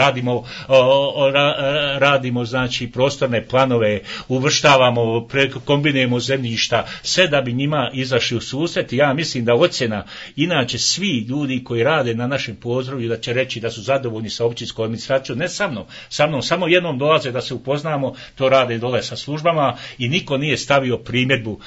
radimo znači prostorne planove, uvrštavamo, kombinujemo zemljišta, sve da bi njima izašli u susret. Ja mislim da ocjena, inače svi ljudi koji rade na našem području da će reći da su zadovoljni sa općinskom administracijom, ne sa mnom, samo jednom dolaze da se upoznamo, to rade dole sa službama i niko nije stavio primjedbu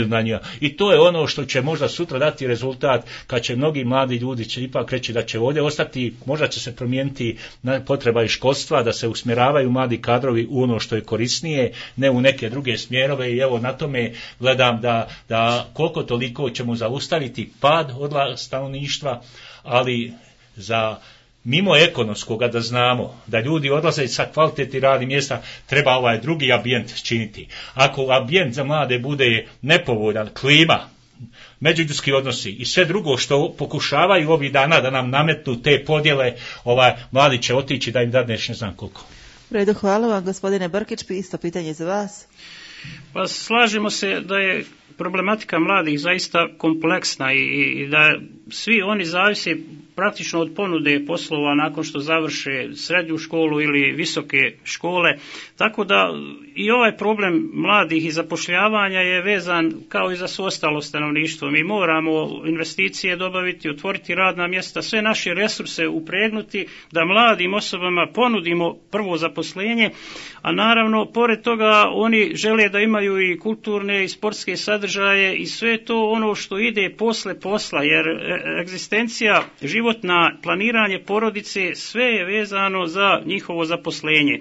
na njega. I to je ono što će možda sutra dati rezultat, kad će mnogi mladi ljudi će ipak reći da će ovdje ostati, možda će se promijeniti potreba i školstva, da se usmjeravaju mladi kadrovi u ono što je korisnije, ne u neke druge smjerove i evo na tome gledam da koliko toliko ćemo zaustaviti pad odlaska stanovništva, ali za mimo ekonomskoga da znamo da ljudi odlaze sa kvalitetnih radnih mjesta, treba ovaj drugi ambijent činiti. Ako ambijent za mlade bude nepovoljan, klima, međuljudski odnosi i sve drugo što pokušavaju ovih dana da nam nametnu te podjele, mladi će otići da im dadneš ne znam koliko. U redu, hvala vam. Gospodine Brkić, isto pitanje za vas. Pa slažemo se da je problematika mladih zaista kompleksna i da svi oni zavise praktično od ponude poslova nakon što završe srednju školu ili visoke škole, tako da i ovaj problem mladih i zapošljavanja je vezan kao i za svo ostalo stanovništvo. Mi moramo investicije dobaviti, otvoriti radna mjesta, sve naše resurse upregnuti da mladim osobama ponudimo prvo zaposlenje, a naravno pored toga oni žele da imaju i kulturne i sportske sadržaje i sve to ono što ide posle posla, jer egzistencija, životna, planiranje porodice, sve je vezano za njihovo zaposlenje.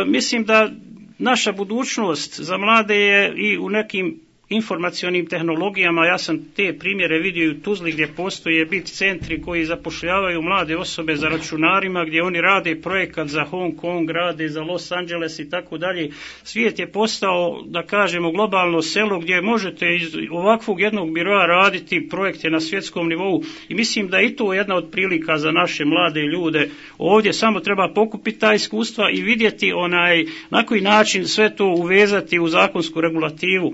Mislim da naša budućnost za mlade je i u nekim informacionim tehnologijama. Ja sam te primjere vidio u Tuzli gdje postoje bit centri koji zapošljavaju mlade osobe za računarima, gdje oni rade projekat za Hong Kong, rade za Los Angeles i tako dalje. Svijet je postao, da kažemo, globalno selo gdje možete iz ovakvog jednog biroa raditi projekte na svjetskom nivou i mislim da je i to jedna od prilika za naše mlade ljude. Ovdje samo treba pokupiti ta iskustva i vidjeti na koji način sve to uvezati u zakonsku regulativu.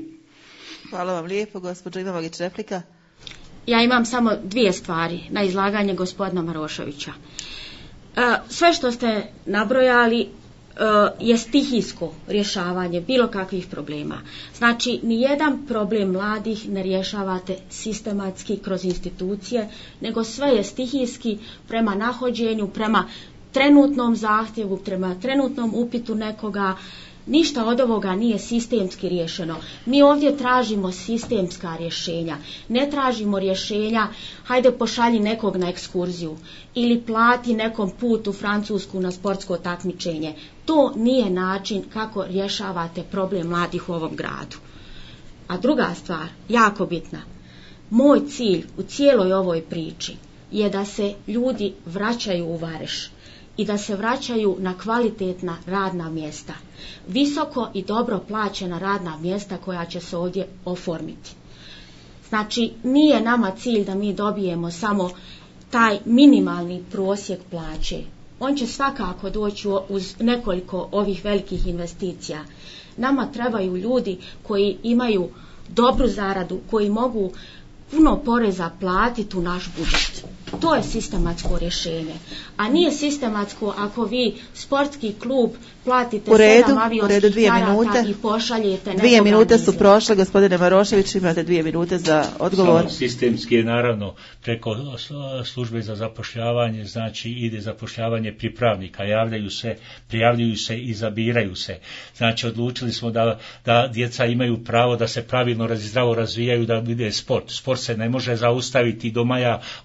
Hvala vam lijepo. Gospođo Imamović, replika. Ja imam samo 2 stvari na izlaganje gospodina Maroševića. Sve što ste nabrojali je stihijsko rješavanje bilo kakvih problema. Znači, nijedan problem mladih ne rješavate sistematski kroz institucije, nego sve je stihijski prema nahođenju, prema trenutnom zahtjevu, prema trenutnom upitu nekoga. Ništa od ovoga nije sistemski riješeno. Mi ovdje tražimo sistemska rješenja. Ne tražimo rješenja, hajde pošalji nekog na ekskurziju ili plati nekom put u Francusku na sportsko takmičenje. To nije način kako rješavate problem mladih u ovom gradu. A druga stvar, jako bitna, moj cilj u cijeloj ovoj priči je da se ljudi vraćaju u Vareš i da se vraćaju na kvalitetna radna mjesta. Visoko i dobro plaćena radna mjesta koja će se ovdje oformiti. Znači, nije nama cilj da mi dobijemo samo taj minimalni prosjek plaće. On će svakako doći uz nekoliko ovih velikih investicija. Nama trebaju ljudi koji imaju dobru zaradu, koji mogu puno poreza platiti u naš budžet. To je sistematsko rješenje. A nije sistematsko ako vi sportski klub platite 7 avionskih karata i pošaljete nekoga. 2 minute su prošle, gospodine Marošević, imate 2 minute za odgovor. Samo sistemski je naravno preko službe za zapošljavanje, znači ide zapošljavanje pripravnika, prijavljuju se i zabiraju se. Znači odlučili smo da djeca imaju pravo da se pravilno zdravo razvijaju, da vide sport. Sport se ne može zaustaviti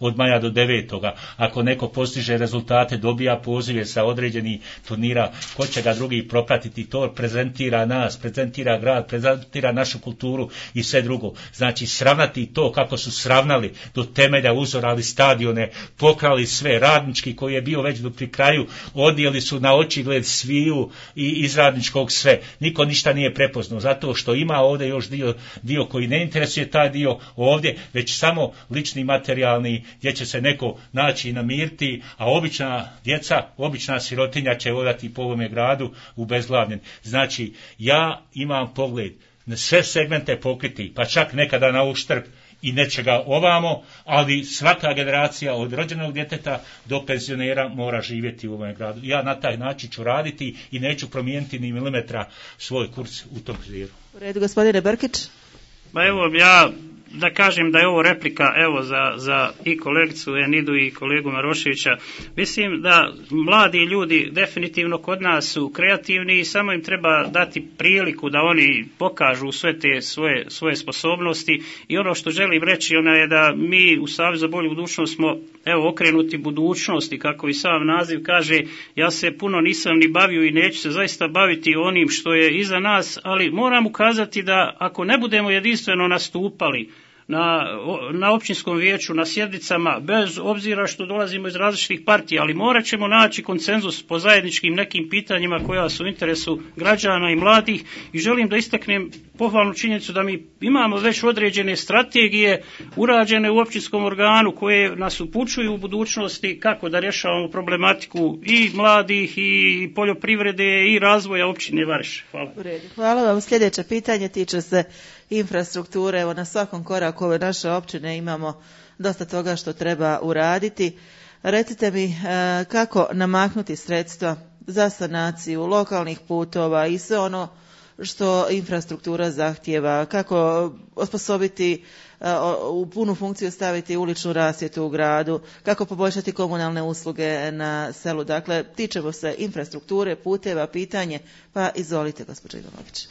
od maja do 9. Ako neko postiže rezultate, dobija pozive sa određenih turnira, ko će ga drugi propratiti, to prezentira nas, prezentira grad, prezentira našu kulturu i sve drugo. Znači sravnati to kako su sravnali do temelja, uzorali stadione, pokrali sve, radnički koji je bio već pri kraju, odnijeli su na očigled sviju i iz radničkog sve. Niko ništa nije prepoznao, zato što ima ovdje još dio koji ne interesuje taj dio ovdje, već samo lični materijalni, gdje će se neko naći i namiriti, a obična djeca, obična sirotinja će odati po ovome gradu ubezglavljen. Znači, ja imam pogled na sve segmente pokriti, pa čak nekada na uštrb i nečega ovamo, ali svaka generacija od rođenog djeteta do penzionera mora živjeti u ovom gradu. Ja na taj način ću raditi i neću promijeniti ni milimetra svoj kurs u tom smjeru. U redu, gospodine Brkić. Pa evo, ja da kažem da je ovo replika za i kolegicu Enidu i kolegu Maroševića. Mislim da mladi ljudi definitivno kod nas su kreativni i samo im treba dati priliku da oni pokažu sve te svoje sposobnosti. I ono što želim reći je da mi u Savezu za bolju budućnost smo okrenuti budućnosti, kako i sam naziv kaže. Ja se puno nisam ni bavio i neću se zaista baviti onim što je iza nas, ali moram ukazati da ako ne budemo jedinstveno nastupali na općinskom vijeću, na sjednicama, bez obzira što dolazimo iz različitih partija, ali morat ćemo naći konsenzus po zajedničkim nekim pitanjima koja su u interesu građana i mladih. I želim da istaknem pohvalnu činjenicu da mi imamo već određene strategije urađene u općinskom organu koje nas upućuju u budućnosti kako da rješavamo problematiku i mladih i poljoprivrede i razvoja općine Vareš. Hvala. Hvala vam. Sljedeće pitanje tiče se infrastrukture. Evo, na svakom koraku ove naše općine imamo dosta toga što treba uraditi. Recite mi kako namaknuti sredstva za sanaciju lokalnih putova i sve ono što infrastruktura zahtjeva, kako osposobiti u punu funkciju staviti uličnu rasvjetu u gradu, kako poboljšati komunalne usluge na selu. Dakle, tičemo se infrastrukture, puteva, pitanje, pa izvolite, gospođo Ivanović.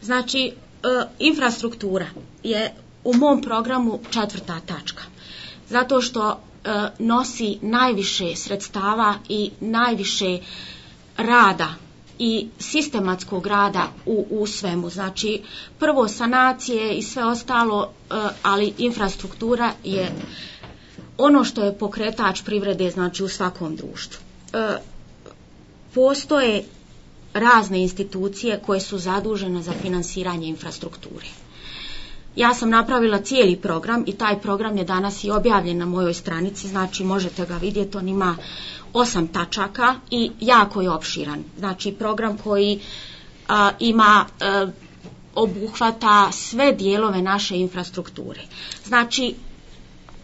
Znači, infrastruktura je u mom programu 4. tačka, zato što nosi najviše sredstava i najviše rada i sistematskog rada u svemu. Znači, prvo sanacije i sve ostalo, ali infrastruktura je ono što je pokretač privrede, znači u svakom društvu. Postoje razne institucije koje su zadužene za finansiranje infrastrukture. Ja sam napravila cijeli program i taj program je danas i objavljen na mojoj stranici, znači možete ga vidjeti, on ima 8 tačaka i jako je opširan. Znači program koji obuhvata sve dijelove naše infrastrukture. Znači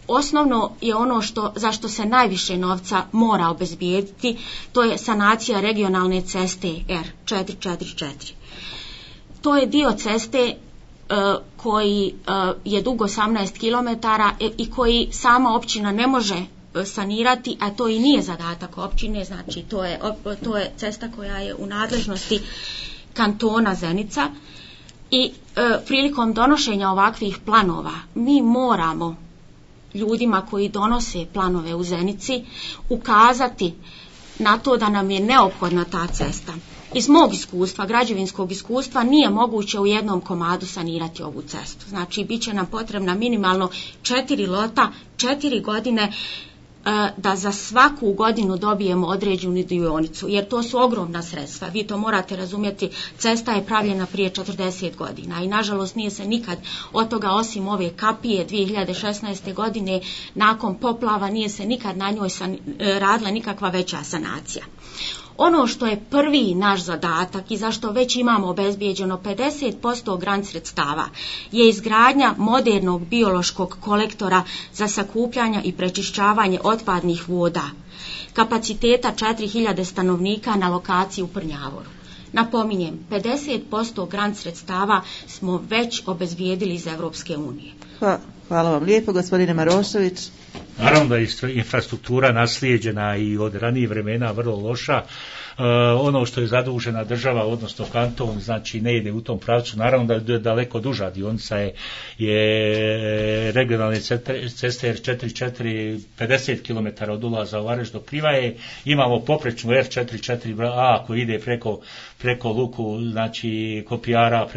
osnovno je ono zašto se najviše novca mora obezbijediti, to je sanacija regionalne ceste R444. To je dio ceste koji je dug 18 km i koji sama općina ne može sanirati, a to i nije zadatak općine, znači to je cesta koja je u nadležnosti kantona Zenica i prilikom donošenja ovakvih planova mi moramo ljudima koji donose planove u Zenici ukazati na to da nam je neophodna ta cesta. Iz mog iskustva, građevinskog iskustva, nije moguće u jednom komadu sanirati ovu cestu. Znači, bit će nam potrebna minimalno 4 lota, 4 godine da za svaku godinu dobijemo određenu dionicu, jer to su ogromna sredstva. Vi to morate razumjeti, cesta je pravljena prije 40 godina i nažalost nije se nikad od toga, osim ove kapije 2016. godine nakon poplava, nije se nikad na njoj radila nikakva veća sanacija. Ono što je prvi naš zadatak i zašto već imamo obezbijeđeno 50% grant sredstava je izgradnja modernog biološkog kolektora za sakupljanje i prečišćavanje otpadnih voda, kapaciteta 4000 stanovnika na lokaciji u Prnjavoru. Napominjem, 50% grant sredstava smo već obezbijedili iz Europske unije. Hvala vam lijepo, gospodine Marošević. Naravno da je infrastruktura naslijeđena i od ranijih vremena vrlo loša. Ono što je zadužena država, odnosno kanton, znači ne ide u tom pravcu. Naravno da je daleko duža dionica je regionalne ceste R44 50 km od ulaza u Vareš do Krivaje. Imamo poprečnu R44A koji ide preko luku, znači Kopijara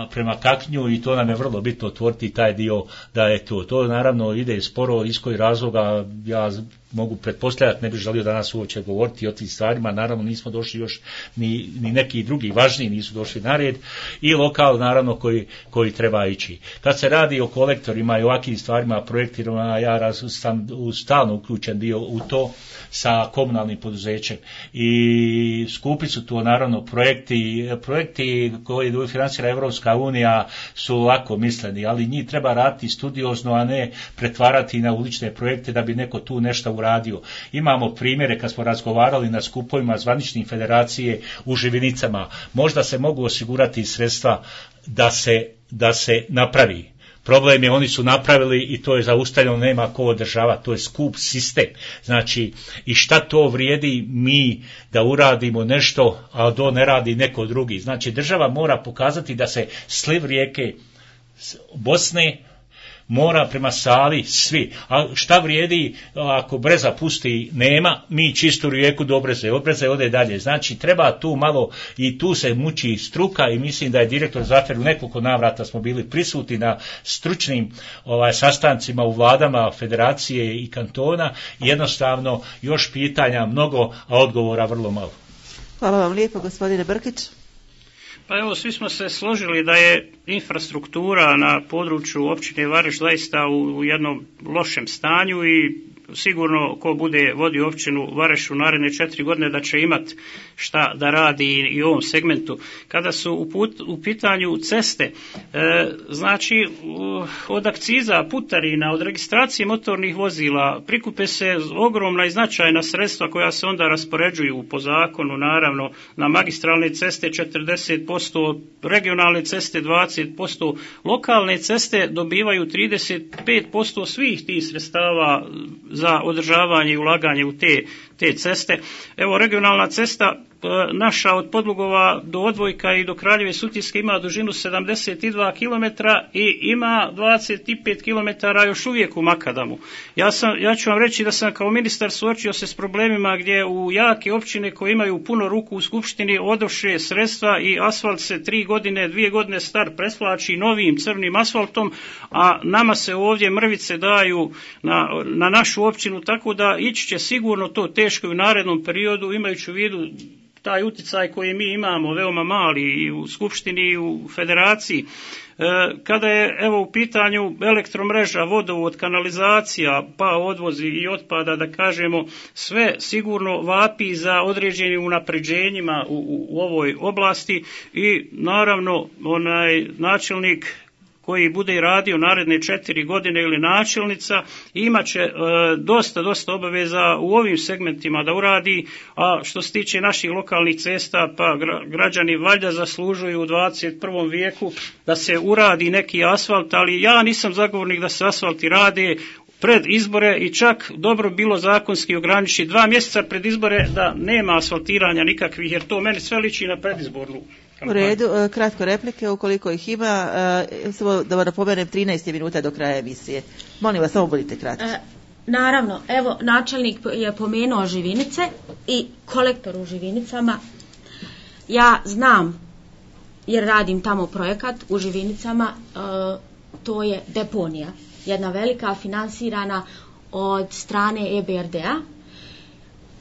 prema Kaknju, i to nam je vrlo bitno otvoriti taj dio da je to. To naravno ide sporo, iz kojih razloga ja mogu pretpostavljati, ne bih želio danas uopće govoriti o tim stvarima, naravno nismo došli još, ni neki drugi važniji nisu došli na red, i lokal naravno koji treba ići. Kad se radi o kolektorima i ovakvim stvarima, projektirima, ja sam stalno uključen bio u to sa komunalnim poduzećem i skupi su to naravno projekti koji financira Evropska unija su lako misleni, ali njih treba raditi studiozno, a ne pretvarati na ulične projekte da bi neko tu nešto uradio. Imamo primjere kad smo razgovarali na skupovima zvaničnih federacije u Živinicama, možda se mogu osigurati sredstva da se napravi. Problem je, oni su napravili i to je zaustavljeno, nema ko održava, to je skup sistem. Znači, i šta to vrijedi mi da uradimo nešto, a to ne radi neko drugi. Znači, država mora pokazati da se sliv rijeke Bosne mora prema Savi svi. A šta vrijedi ako Breza pusti nema, mi čistu rijeku do Breze, od Breze ode dalje. Znači treba tu malo, i tu se muči struka, i mislim da je direktor Zafer u nekoliko navrata smo bili prisutni na stručnim sastancima u vladama federacije i kantona, i jednostavno još pitanja mnogo, a odgovora vrlo malo. Hvala vam lijepo, gospodine Brkić. Pa evo, svi smo se složili da je infrastruktura na području općine Vareš zaista u jednom lošem stanju i sigurno ko bude vodio općinu Vareš u naredne 4 godine da će imati šta da radi i u ovom segmentu. Kada su u pitanju ceste, znači od akciza, putarina, od registracije motornih vozila prikupe se ogromna i značajna sredstva koja se onda raspoređuju po zakonu, naravno na magistralne ceste 40%, regionalne ceste 20%, lokalne ceste dobivaju 35% svih tih sredstava za održavanje i ulaganje u te ceste. Evo, regionalna cesta naša od Podlugova do Odvojka i do Kraljeve Sutjeske ima dužinu 72 km i ima 25 km još uvijek u makadamu. Ja ću vam reći da sam kao ministar suočio se s problemima gdje u jake općine koje imaju puno ruku u skupštini odoše sredstva i asfalt se 2 godine star presvlači novim crnim asfaltom, a nama se ovdje mrvice daju na našu općinu, tako da ići će sigurno to teško u narednom periodu, imajući u vidu taj utjecaj koji mi imamo, veoma mali i u skupštini i u federaciji. Kada je evo u pitanju elektromreža, vodovod, kanalizacija, pa odvozi i otpada, da kažemo, sve sigurno vapi za određenim unapređenjima u ovoj oblasti, i naravno onaj načelnik koji bude radio naredne 4 godine ili načelnica imat će dosta obaveza u ovim segmentima da uradi, a što se tiče naših lokalnih cesta, pa građani valjda zaslužuju u 21. vijeku da se uradi neki asfalt, ali ja nisam zagovornik da se asfalti rade pred izbore, i čak dobro bilo zakonski ograničiti 2 mjeseca pred izbore da nema asfaltiranja nikakvih, jer to meni sve liči na predizbornu kampanju. U redu, kratko replike ukoliko ih ima, samo da vam napomenem 13 minuta do kraja emisije. Molim vas, samo budite kratki. Naravno, evo načelnik je pomenuo Živinice i kolektor u Živinicama. Ja znam, jer radim tamo projekat u Živinicama, to je deponija. jedna velika, finansirana od strane EBRD-a,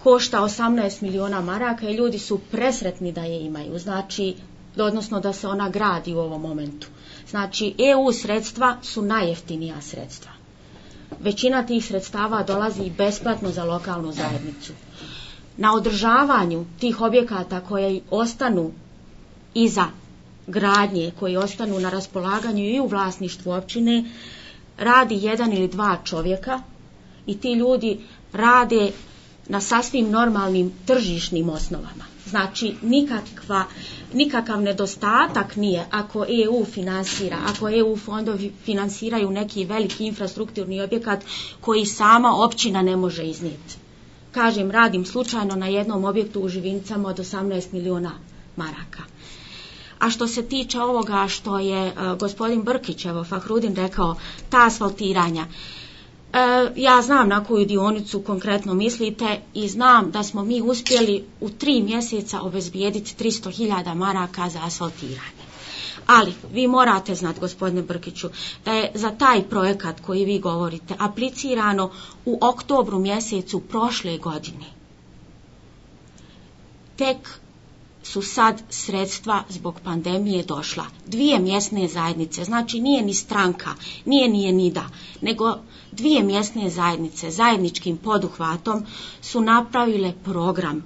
košta 18 miliona maraka i ljudi su presretni da je imaju, znači, odnosno da se ona gradi u ovom momentu. Znači, EU sredstva su najjeftinija sredstva. Većina tih sredstava dolazi besplatno za lokalnu zajednicu. Na održavanju tih objekata koje ostanu iza gradnje, koji ostanu na raspolaganju i u vlasništvu općine, radi 1 ili 2 čovjeka i ti ljudi rade na sasvim normalnim tržišnim osnovama. Znači, nikakav nedostatak nije ako EU finansira, ako EU fondovi finansiraju neki veliki infrastrukturni objekat koji sama općina ne može iznijeti. Kažem, radim slučajno na jednom objektu u Živinicama od 18 miliona maraka. A što se tiče ovoga što je gospodin Brkić, Fahrudin rekao, ta asfaltiranja, ja znam na koju dionicu konkretno mislite i znam da smo mi uspjeli u 3 mjeseca obezbijediti 300.000 maraka za asfaltiranje. Ali vi morate znati, gospodine Brkiću, da je za taj projekat koji vi govorite aplicirano u oktobru mjesecu prošle godine. Tek su sad sredstva zbog pandemije došla. 2 mjesne zajednice, znači nije ni stranka, nije NIDA, nego 2 mjesne zajednice zajedničkim poduhvatom su napravile program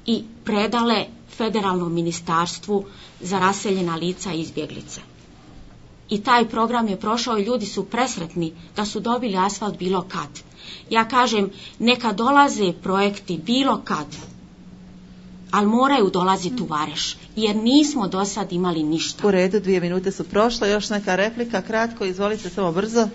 i predale Federalnom ministarstvu za raseljena lica i izbjeglice. I taj program je prošao i ljudi su presretni da su dobili asfalt bilo kad. Ja kažem, neka dolaze projekti bilo kad, ali moraju dolaziti u Vareš, jer nismo do sad imali ništa. U redu, 2 minute su prošle, još neka replika, kratko, izvolite, samo brzo.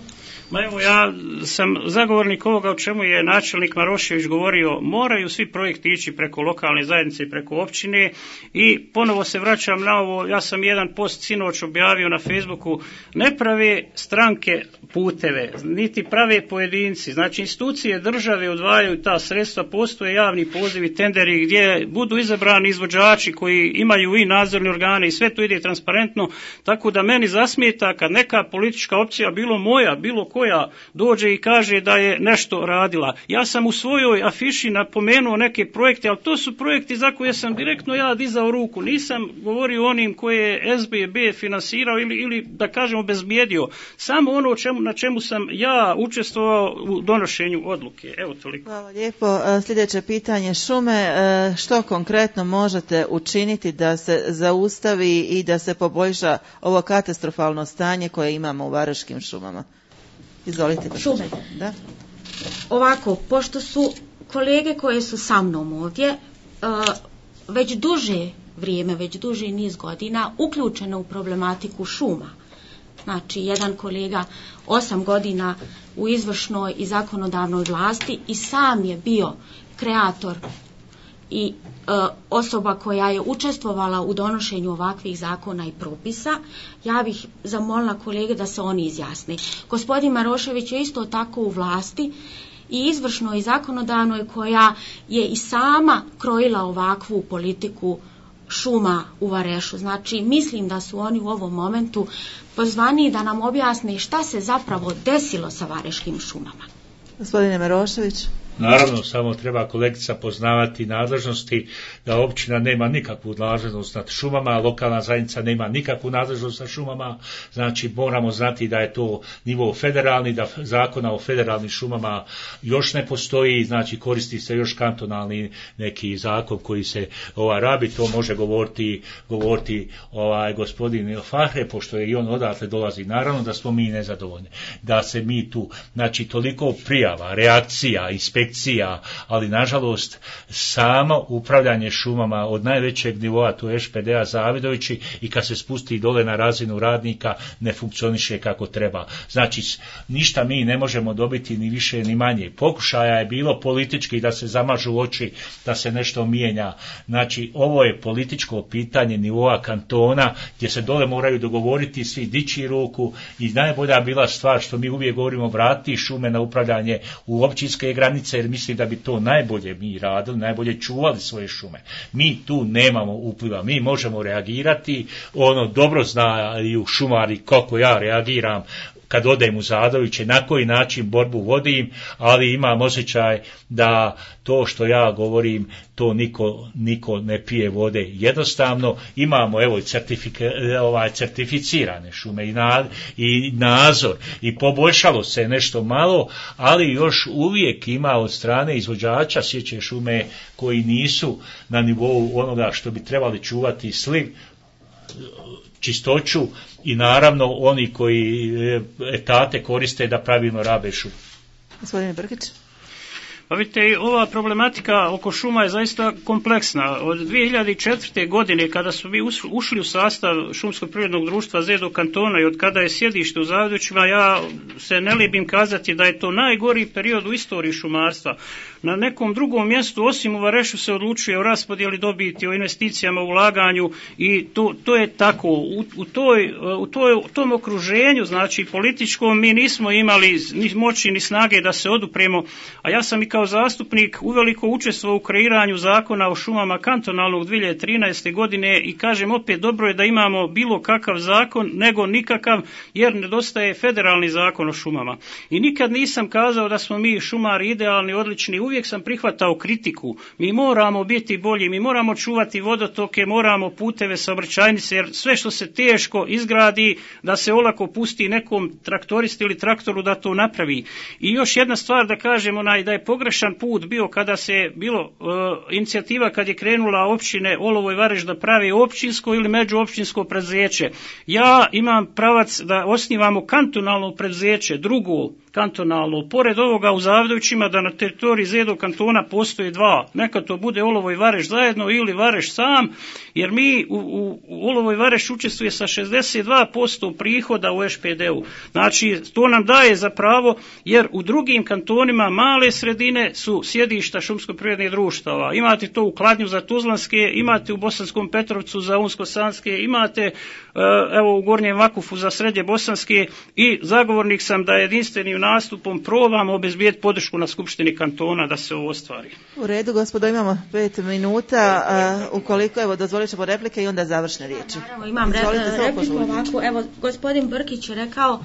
Ma evo, ja sam zagovornik ovoga o čemu je načelnik Marošević govorio, moraju svi projekti ići preko lokalne zajednice i preko općine i ponovo se vraćam na ovo, ja sam jedan post sinoć objavio na Facebooku, ne prave stranke puteve, niti prave pojedinci, znači institucije države odvajaju ta sredstva, postoje javni pozivi, tenderi gdje budu izabrani izvođači koji imaju i nadzorne organe i sve to ide transparentno, tako da meni zasmeta kad neka politička opcija, bilo moja, bilo koja, dođe i kaže da je nešto radila. Ja sam u svojoj afiši napomenuo neke projekte, ali to su projekti za koje sam direktno ja dizao ruku. Nisam govorio o onim koje je SBB finansirao ili da kažem obezbijedio. Samo ono na čemu sam ja učestvovao u donošenju odluke. Evo toliko. Hvala lijepo. Sljedeće pitanje, šume. Što konkretno možete učiniti da se zaustavi i da se poboljša ovo katastrofalno stanje koje imamo u Varaždinskim šumama? Izvolite. Šume. Da. Ovako, pošto su kolege koje su sa mnom ovdje već duže vrijeme, već duži niz godina uključene u problematiku šuma. Znači, jedan kolega 8 godina u izvršnoj i zakonodavnoj vlasti i sam je bio kreator i osoba koja je učestvovala u donošenju ovakvih zakona i propisa, ja bih zamolila kolege da se oni izjasne. Gospodin Marošević je isto tako u vlasti i izvršnoj i zakonodavnoj koja je i sama krojila ovakvu politiku šuma u Varešu. Znači, mislim da su oni u ovom momentu pozvani da nam objasne šta se zapravo desilo sa vareškim šumama. Gospodine Marošević. Naravno, samo treba kolegica poznavati nadležnosti, da općina nema nikakvu nadležnost nad šumama, a lokalna zajednica nema nikakvu nadležnost nad šumama, znači moramo znati da je to nivo federalni, da zakona o federalnim šumama još ne postoji, znači koristi se još kantonalni neki zakon koji se rabi, to može govoriti gospodin Fahre, pošto je i on odatle dolazi. Naravno da smo mi nezadovoljni, da se mi tu, znači toliko prijava, reakcija, inspekcija, ali nažalost samo upravljanje šumama od najvećeg nivoa, to je ŠPD-a Zavidovići, i kad se spusti dole na razinu radnika ne funkcioniše kako treba. Znači ništa mi ne možemo dobiti ni više ni manje. Pokušaja je bilo politički da se zamažu oči, da se nešto mijenja. Znači ovo je političko pitanje nivoa kantona gdje se dole moraju dogovoriti svi, dići ruku, i najbolja bila stvar što mi uvijek govorimo, vratiti šume na upravljanje u općinske granice, jer mislim da bi to najbolje mi radili, najbolje čuvali svoje šume. Mi tu nemamo upliva, mi možemo reagirati, dobro znaju šumari kako ja reagiram kad odem u Zadoviće, na koji način borbu vodim, ali imam osjećaj da to što ja govorim, to niko ne pije vode. Jednostavno imamo evo certificirane šume i nadzor i poboljšalo se nešto malo, ali još uvijek ima od strane izvođača sječe šume koji nisu na nivou onoga što bi trebali čuvati sliv, čistoću i naravno oni koji etate koriste da pravilno rabe šumu. Gospodine Brkić. Pa vidite, ova problematika oko šuma je zaista kompleksna. Od 2004. godine, kada smo mi ušli u sastav Šumskog privrednog društva Zedo kantona i od kada je sjedište u Zadovićima, ja se ne libim kazati da je to najgori period u istoriji šumarstva. Na nekom drugom mjestu, osim u Varešu, se odlučuje o raspodjeli dobiti, o investicijama, u ulaganju i to je tako. U tom okruženju, znači političkom, mi nismo imali ni moći ni snage da se odupremo, a ja sam i kao zastupnik uveliko učestvovao u kreiranju zakona o šumama kantonalnog 2013. godine i kažem opet, dobro je da imamo bilo kakav zakon, nego nikakav, jer nedostaje federalni zakon o šumama. I nikad nisam kazao da smo mi šumari idealni, odlični, uvijek sam prihvatao kritiku. Mi moramo biti bolji, mi moramo čuvati vodotoke, moramo puteve, saobraćajnice, jer sve što se teško izgradi, da se olako pusti nekom traktoristi ili traktoru da to napravi. I još jedna stvar da kažem, da je pogrešan put bio kada se bilo inicijativa kad je krenula općine Olovo i Vareš da pravi općinsko ili međuopćinsko preduzeće. Ja imam pravac da osnivamo kantonalno preduzeće, drugo kantonalno, pored ovoga u Zadovićima, da na teritoriji Zedo kantona postoje dva. Neka to bude Olovo i Vareš zajedno ili Vareš sam, jer mi u Olovo i Vareš učestvuje sa 62% prihoda u ŠPD-u. Znači, to nam daje za pravo, jer u drugim kantonima male sredine su sjedišta šumsko-privrednih društava. Imate to u Kladnju za Tuzlanske, imate u Bosanskom Petrovcu za Unsko-Sanske, imate evo u Gornjem Vakufu za Srednje Bosanske i zagovornik sam da jedinstvenim nastupom probamo obezbijeti podršku na Skupštini kantona da se ovo ostvari. U redu, gospodo, imamo 5 minuta. Ukoliko, evo, dozvolit ćemo replike i onda završne riječi. Naravno, imam repliku ovako. Evo, gospodin Brkić je rekao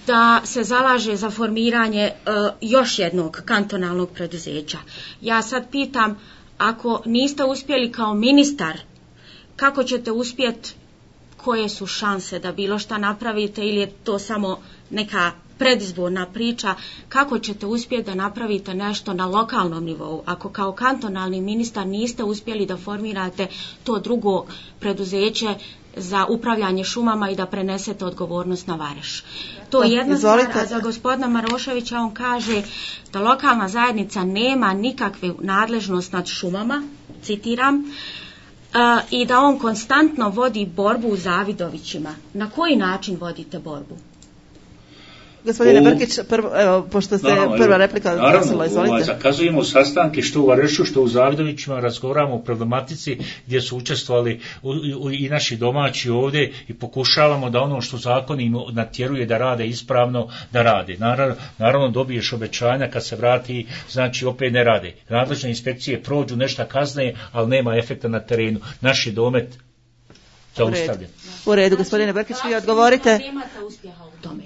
da se zalaže za formiranje još jednog kantonalnog preduzeća. Ja sad pitam, ako niste uspjeli kao ministar, kako ćete uspjeti, koje su šanse da bilo šta napravite, ili je to samo neka predizborna priča, kako ćete uspjeti da napravite nešto na lokalnom nivou, ako kao kantonalni ministar niste uspjeli da formirate to drugo preduzeće za upravljanje šumama i da prenesete odgovornost na Vareš. To je jedna stvar, a za gospodina Maroševića on kaže da lokalna zajednica nema nikakvu nadležnost nad šumama, citiram, i da on konstantno vodi borbu u Zavidovićima. Na koji način vodite borbu? Gospodine Brkić, pošto ste prva replika dosila, izvolite. Zakazujemo sastanke što u Varešu, što u Zavidovićima, razgovaramo o problematici gdje su učestvovali i naši domaći ovdje i pokušavamo da ono što zakon im natjeruje da rade ispravno, da rade. Naravno dobiješ obećanja, kad se vrati, znači opet ne rade. Nadležne inspekcije prođu, nešto kazne, ali nema efekta na terenu. Naš je domet zaustavljen. U redu, gospodine Brkić, vi odgovorite. Nemate uspjeha u tome.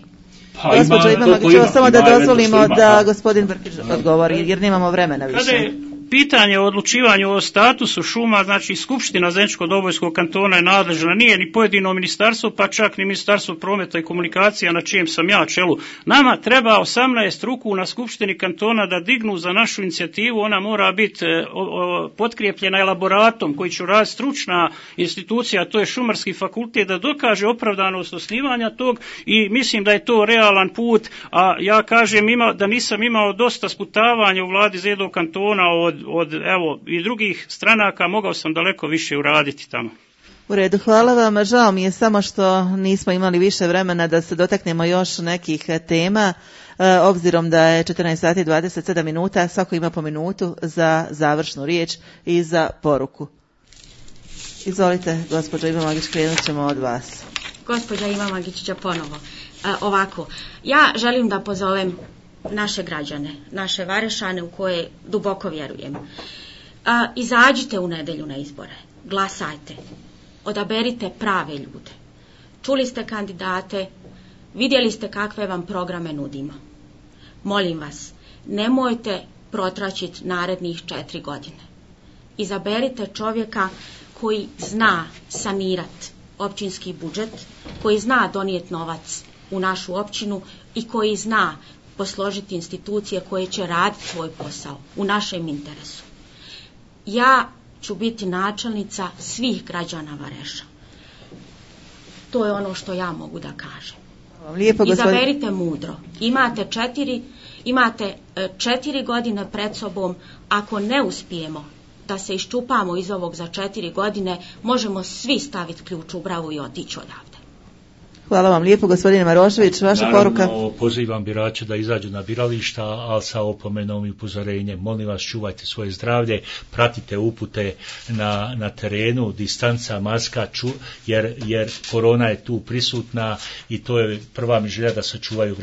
Gospođo Imamagićeva, samo da dozvolimo da gospodin Brkić odgovori, jer nemamo vremena više. Kada je pitanje o odlučivanju o statusu šuma, znači Skupština Zeničko-Dobojskog kantona je nadležna, nije ni pojedino ministarstvo, pa čak ni Ministarstvo prometa i komunikacija na čijem sam ja čelu. Nama treba 18 ruku na Skupštini kantona da dignu za našu inicijativu, ona mora biti potkrijepljena elaboratom koji će raditi stručna institucija, to je Šumarski fakultet, da dokaže opravdanost osnivanja tog i mislim da je to realan put, a ja kažem da nisam imao dosta sputavanja u vladi Zedo kantona od evo i drugih stranaka, mogao sam daleko više uraditi tamo. U redu, hvala vam. Žao mi je samo što nismo imali više vremena da se dotaknemo još nekih tema, obzirom da je 14 sati 27 minuta, svako ima po minutu za završnu riječ i za poruku. Izvolite, gospođa Imamagić, krenut ćemo od vas. Gospođa Imamagić ponovo. Ovako, ja želim da pozovem naše građane, naše Varešane u koje duboko vjerujem. Izađite u nedjelju na izbore, glasajte, odaberite prave ljude. Čuli ste kandidate, Vidjeli ste kakve vam programe nudimo. Molim vas, nemojte protraćiti narednih 4 godine. Izaberite čovjeka koji zna sanirati općinski budžet, koji zna donijeti novac u našu općinu i koji zna posložiti institucije koje će raditi svoj posao u našem interesu. Ja ću biti načelnica svih građana Vareša. To je ono što ja mogu da kažem. Lijepo, izaberite mudro. Imate 4 godine pred sobom. Ako ne uspijemo da se iščupamo iz ovog za 4 godine, možemo svi staviti ključ u bravu i otići odavde. Hvala vam lijepo, gospodine Marošević. Vaša poruka? Naravno, pozivam birače da izađu na birališta, ali sa opomenom i upozorenjem. Molim vas, čuvajte svoje zdravlje, pratite upute na terenu, distanca, maska, jer korona je tu prisutna i to je prva mi želja da sačuvaju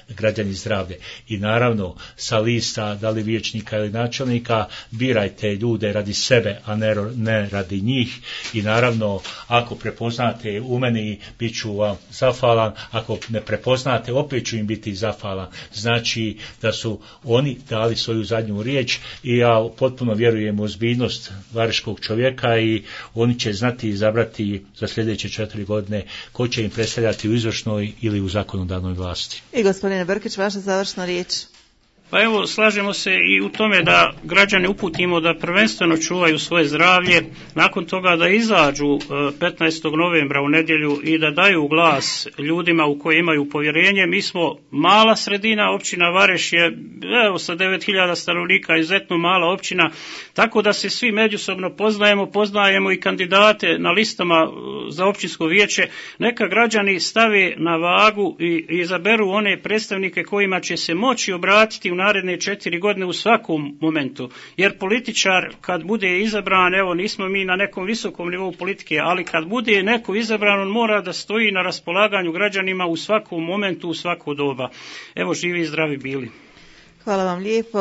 građani zdravlje. I naravno, sa lista, da li vijećnika ili načelnika, birajte ljude radi sebe, a ne radi njih. I naravno, ako prepoznate u meni, bit ću vam zahvalan, ako ne prepoznate, opet ću im biti zahvalan. Znači da su oni dali svoju zadnju riječ i ja potpuno vjerujem u ozbiljnost vareškog čovjeka i oni će znati izabrati za sljedeće 4 godine ko će im predstavljati u izvršnoj ili u zakonodavnoj vlasti. I gospodine Brkić, vaša završna riječ. Pa evo, slažemo se i u tome da građane uputimo da prvenstveno čuvaju svoje zdravlje, nakon toga da izađu 15. novembra u nedjelju i da daju glas ljudima u koje imaju povjerenje. Mi smo mala sredina, općina Vareš je sa 9.000 stanovnika izuzetno mala općina, tako da se svi međusobno poznajemo i kandidate na listama za općinsko vijeće. Neka građani stave na vagu i izaberu one predstavnike kojima će se moći obratiti u naredne 4 godine u svakom momentu. Jer političar kad bude izabran, evo nismo mi na nekom visokom nivou politike, ali kad bude neko izabran, on mora da stoji na raspolaganju građanima u svakom momentu, u svako doba. Evo, živi i zdravi bili. Hvala vam lijepo,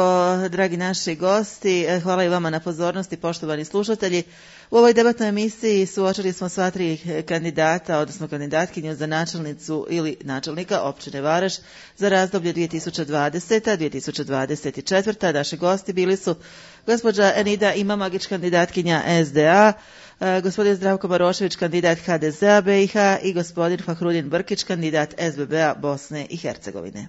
dragi naši gosti. Hvala i vama na pozornosti, poštovani slušatelji. U ovoj debatnoj emisiji suočili smo sva 3 kandidata, odnosno kandidatkinju za načelnicu ili načelnika općine Vareš za razdoblje 2020-2024. Naši gosti bili su gospođa Enida Imamagić, kandidatkinja SDA, gospodin Zdravko Marošević, kandidat HDZ-a BiH i gospodin Fahrudin Brkić, kandidat SBB-a Bosne i Hercegovine.